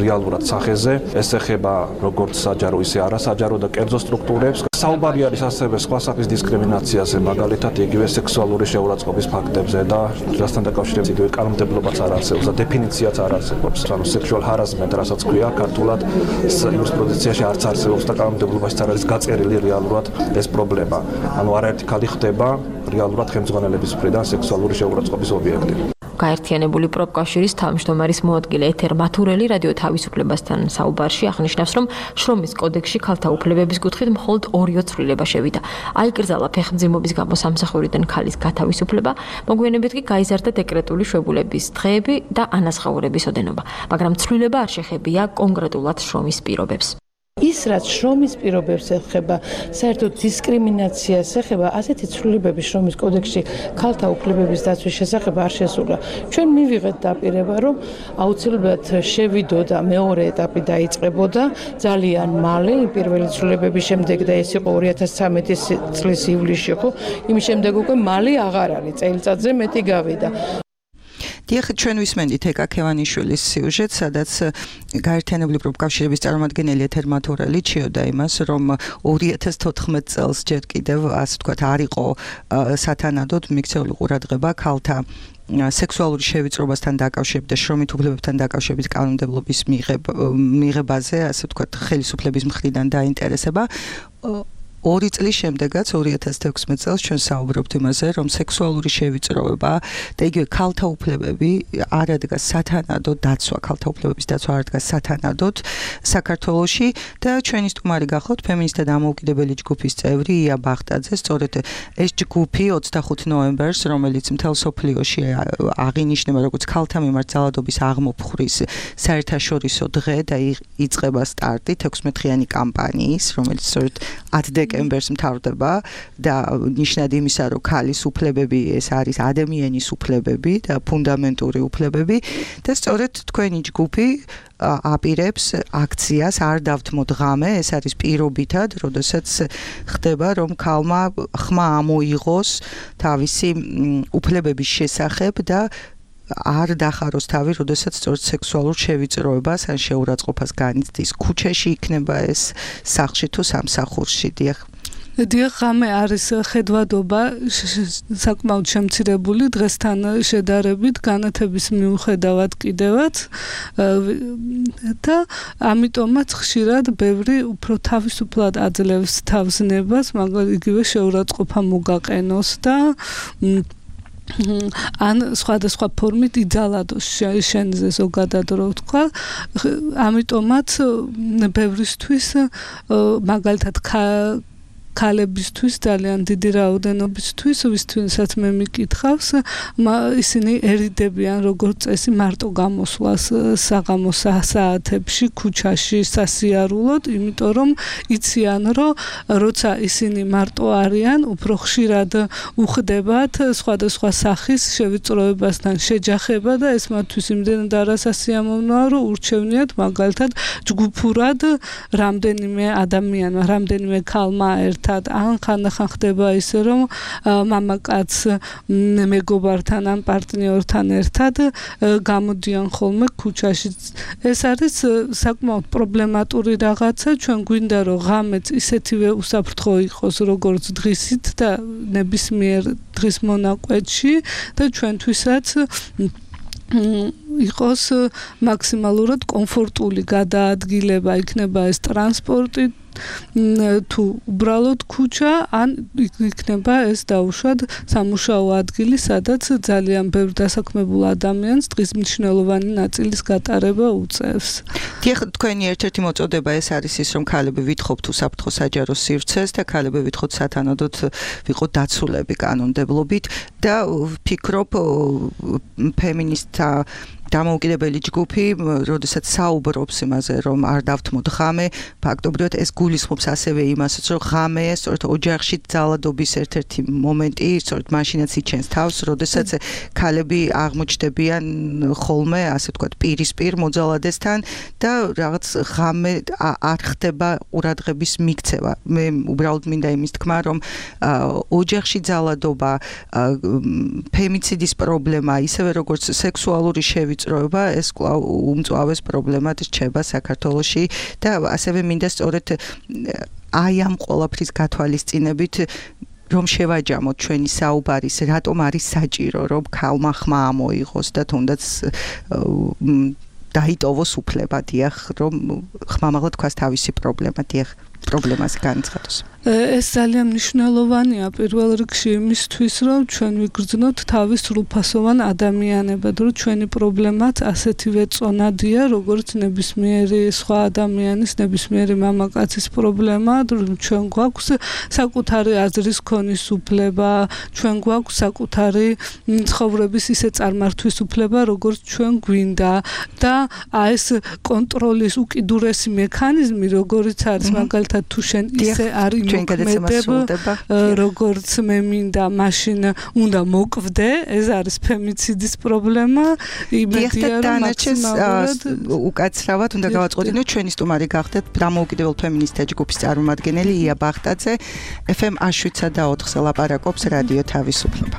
რეალურად სახეზე. ეს ეხება როგორც საჯარო, ისე არასაჯარო და კერძო სტრუქტურებს. საუბარი არის ასევე სხვა სახის დისკრიმინაციაზე, მაგალითად იგივე სექსუალური შეურაცხყოფის ფაქტებზე და რასთან დაკავშირებით იგივე კანონმდებლობაც არ არსებობს და დეფინიციაც არ არსებობს. ანუ sexual harassment, რასაც ქვია ქართულად იურისპრუდენციაში არც არსებობს და კანონმდებლობაშიც არ არის გაწერილი რეალურად ეს პრობლემა. ანუ არაერთი ქალი ხდება რეალურად ხელმძღვანელების მხრიდან სექსუალური შეურაცხყოფის ობიექტი. გაერთიანებული პროფკავშირის თავმჯდომარის მოადგილე ეთერ მათურელი რადიო თავისუფლებასთან საუბარში აღნიშნავს, რომ შრომის კოდექსში ქალთა უფლებების კუთხით მხოლოდ ორი ცვლილება შევიდა. აიკრძალა ფეხმძიმობის გამო სამსახურიდან ქალის გათავისუფლება, მოგვიანებით კი გაიზარდა დეკრეტული შვებულების დღეები და ანაზღაურების ოდენობა, მაგრამ ცვლილება არ შეხებია კონკრეტულად შრომის პირობებს. ის რაც შრომის პირობებს ეხება, საერთოდ დისკრიმინაციას ეხება, ასეთი ცვლილებები შრომის კოდექსში ქალთა უფლებების დაცვის შესახებ არ შესულა. ჩვენ მივიღეთ დაპირება, რომ აუცილებლად შევიდოდა მეორე ეტაპი დაიწყებოდა ძალიან მალე, პირველი ცვლილებების შემდეგ და ეს იყო ორი ათას ცხრამეტი წლის ივლისში, ხო? იმის შემდეგ უკვე მალე აღარ არის, წელიწადზე მეტი გავიდა. დიახ, ჩვენ ვისმენდით ეკა ქევანიშვილის სიუჟეტს, სადაც გაერთიანებული პროფკავშირების წარმომადგენელი ეთერ მათურელი ჩიოდა იმას, რომ ორი ათას თოთხმეტ წელს ჯერ კიდევ, ასე ვთქვათ, არ იყო სათანადოდ მიქცეული ყურადღება ქალთა სექსუალური შევიწრობასთან დაკავშირებით და შრომით უფლებებთან დაკავშირებით კანონმდებლობის მიღებაზე, ასე ვთქვათ, ხელისუფლების მხრიდან დაინტერესება. ორი წლის შემდეგაც ორი ათას თექვსმეტ წელს ჩვენ საუბრობთ იმაზე, რომ სექსუალური შევიწროება და იგივე ქალთა უფლებები არ ადგას სათანადოდ დაცვა, ქალთა უფლებების დაცვა არ ადგას სათანადოდ საქართველოში და ჩვენი სტუმარი გახლავთ ფემინისტთა დამოუკიდებელი ჯგუფის წევრი ია ბახტაძე. სწორედ ეს ჯგუფი ოცდახუთი ნოემბერს, რომელიც მთელ სოფლიოში აღინიშნება როგორც ქალთა მიმართ ძალადობის აღმოფხვრის საერთაშორისო დღე და იწყება სტარტი თექვსმეტდღიანი კამპანიის, რომელიც სწორედ ათი დეკემბერს მთავრდება და ნიშნად იმისა, რომ ქალის უფლებები ეს არის ადამიანის უფლებები და ფუნდამენტური უფლებები და სწორედ თქვენი ჯგუფი აპირებს აქციას არ დავთმოთ ღამე, ეს არის პირობითად, როდესაც ხდება, რომ ქალმა ხმა ამოიღოს თავისი უფლებების შესახებ და არ დახაროს თავი, როდესაც სწორედ სექსუალურ შევიწროებას ან შეურაცხყოფას განიცდის. ქუჩაში იქნება ეს სახლში თუ სამსახურში. დიახ. დიახ, ღამე არის ხედვადობა საკმაოდ შემცირებული დღესთან შედარებით, განათების მიუხედავად კიდევაც და ამიტომაც ხშირად ბევრი უფრო თავისუფლად აძლევს თავზნებას, მაგრამ იგივე შეურაცხყოფა მოგაყენოს და ან სხვადასხვა ფორმით იძალადოს შენზე ზოგადად რო ვთქვა. ამიტომაც ბევრისთვის მაგალითად ქალებისთვის ძალიან დიდი რაოდენობისთვის, ვისთვისაც მე მიკითხავს, ისინი ერიდებიან როგორც წესი მარტო გამოსვლას საღამოს საათებში ქუჩაში სასიარულოდ, იმიტომ რომ იციან, რომ როცა ისინი მარტო არიან, უფრო ხშირად უხდებათ სხვადასხვა სახის შევიწროებასთან შეჯახება და ეს მათთვის იმდენად არასასიამოვნოა, რომ ურჩევნიათ მაგალითად ჯგუფურად რამდენიმე ადამიანმა, რამდენიმე ქალმა ერთ ან ხანდახან ხდება ისე, რომ მამაკაც მეგობართან ან პარტნიორთან ერთად გამოდიან ხოლმე ქუჩაში. ეს არის საკმაოდ პრობლემატური რაღაცა, ჩვენ გვინდა რომ ღამეც ისეთივე უსაფრთხო იყოს, როგორც დღისით და ნებისმიერ დღის მონაკვეთში და ჩვენთვისაც იყოს მაქსიმალურად კომფორტული გადაადგილება, იქნება ეს ტრანსპორტი თუ უბრალოდ ქუჩა ან იქნება ეს დაუშვათ სამუშაო ადგილი, სადაც ძალიან ბევრ დასაქმებულ ადამიანს დღის მნიშვნელოვანი ნაწილის გატარება უწევს. დიახ, თქვენი ერთ-ერთი მოწოდება ეს არის ის, რომ ქალები ვითხოვთ უსაფრთხო საჯარო სივრცეს და ქალები ვითხოვთ სათანადოდ ვიყოთ დაცულები კანონმდებლობით და ვფიქრობ ფემინისტთა დამოუკიდებელი ჯგუფი, როდესაც საუბრობს იმაზე, რომ არ დავთმოთ ღამე, ფაქტობრივად ეს გულისხმობს ასევე იმასაც, რომ ღამე სწორედ ოჯახში ძალადობის ერთ-ერთი მომენტი, სწორედ მაშინაც იჩენს თავს, როდესაც ქალები აღმოჩნდებიან ხოლმე, ასე ვთქვათ, პირისპირ მოძალადესთან და რაღაც ღამე არ ხდება ყურადღების მიქცევა. მე უბრალოდ მინდა იმის თქმა, რომ ოჯახში ძალადობა, ფემიციდის პრობლემა, ისევე როგორც სექსუალური შევი წროება ეს კვლავ უმწვავეს პრობლემად რჩება საქართველოში და ასევე მინდა სწორედ აი ამ ყველაფრის გათვალისწინებით რომ შევაჯამოთ ჩვენი საუბარის რატომ არის საჭირო რომ ქალმა ხმა ამოიღოს და თუნდაც დაიტოვოს უფლება დიახ რომ ხმამაღლა თქვას თავისი პრობლემა დიახ პრობლემას განცხადოს. ეს ძალიან მნიშვნელოვანია პირველ რიგში იმისთვის, რომ ჩვენ ვიგრძნოთ თავის სრულფასოვან ადამიანებად, რომ ჩვენი პრობლემაც ასეთივე წონადია, როგორც ნებისმიერი სხვა ადამიანის, ნებისმიერი მამაკაცის პრობლემა, რომ ჩვენ გვაქვს საკუთარი აზრის ქონის უფლება, ჩვენ გვაქვს საკუთარი ცხოვრების ისე წარმართვის უფლება, როგორც ჩვენ გვინდა და ეს კონტროლის უკიდურესი მექანიზმი, როგორც არის მაგალითად თუ შენ ისე არ იმოქმედება, როგორც მე მინდა, მაშინ უნდა მოკვდე, ეს არის ფემიციდის პრობლემა. იმედია რომ მაქსიმალურად უკაცრავად უნდა გავაწყობინოთ ჩვენი სტუმარი გახდეთ დამოუკიდებელ ფემინისტთა ჯგუფის წარმომადგენელი ია ბახტაძე ეფ ემ შვიდსა და ოთხზე ლაპარაკობს რადიო თავისუფლება.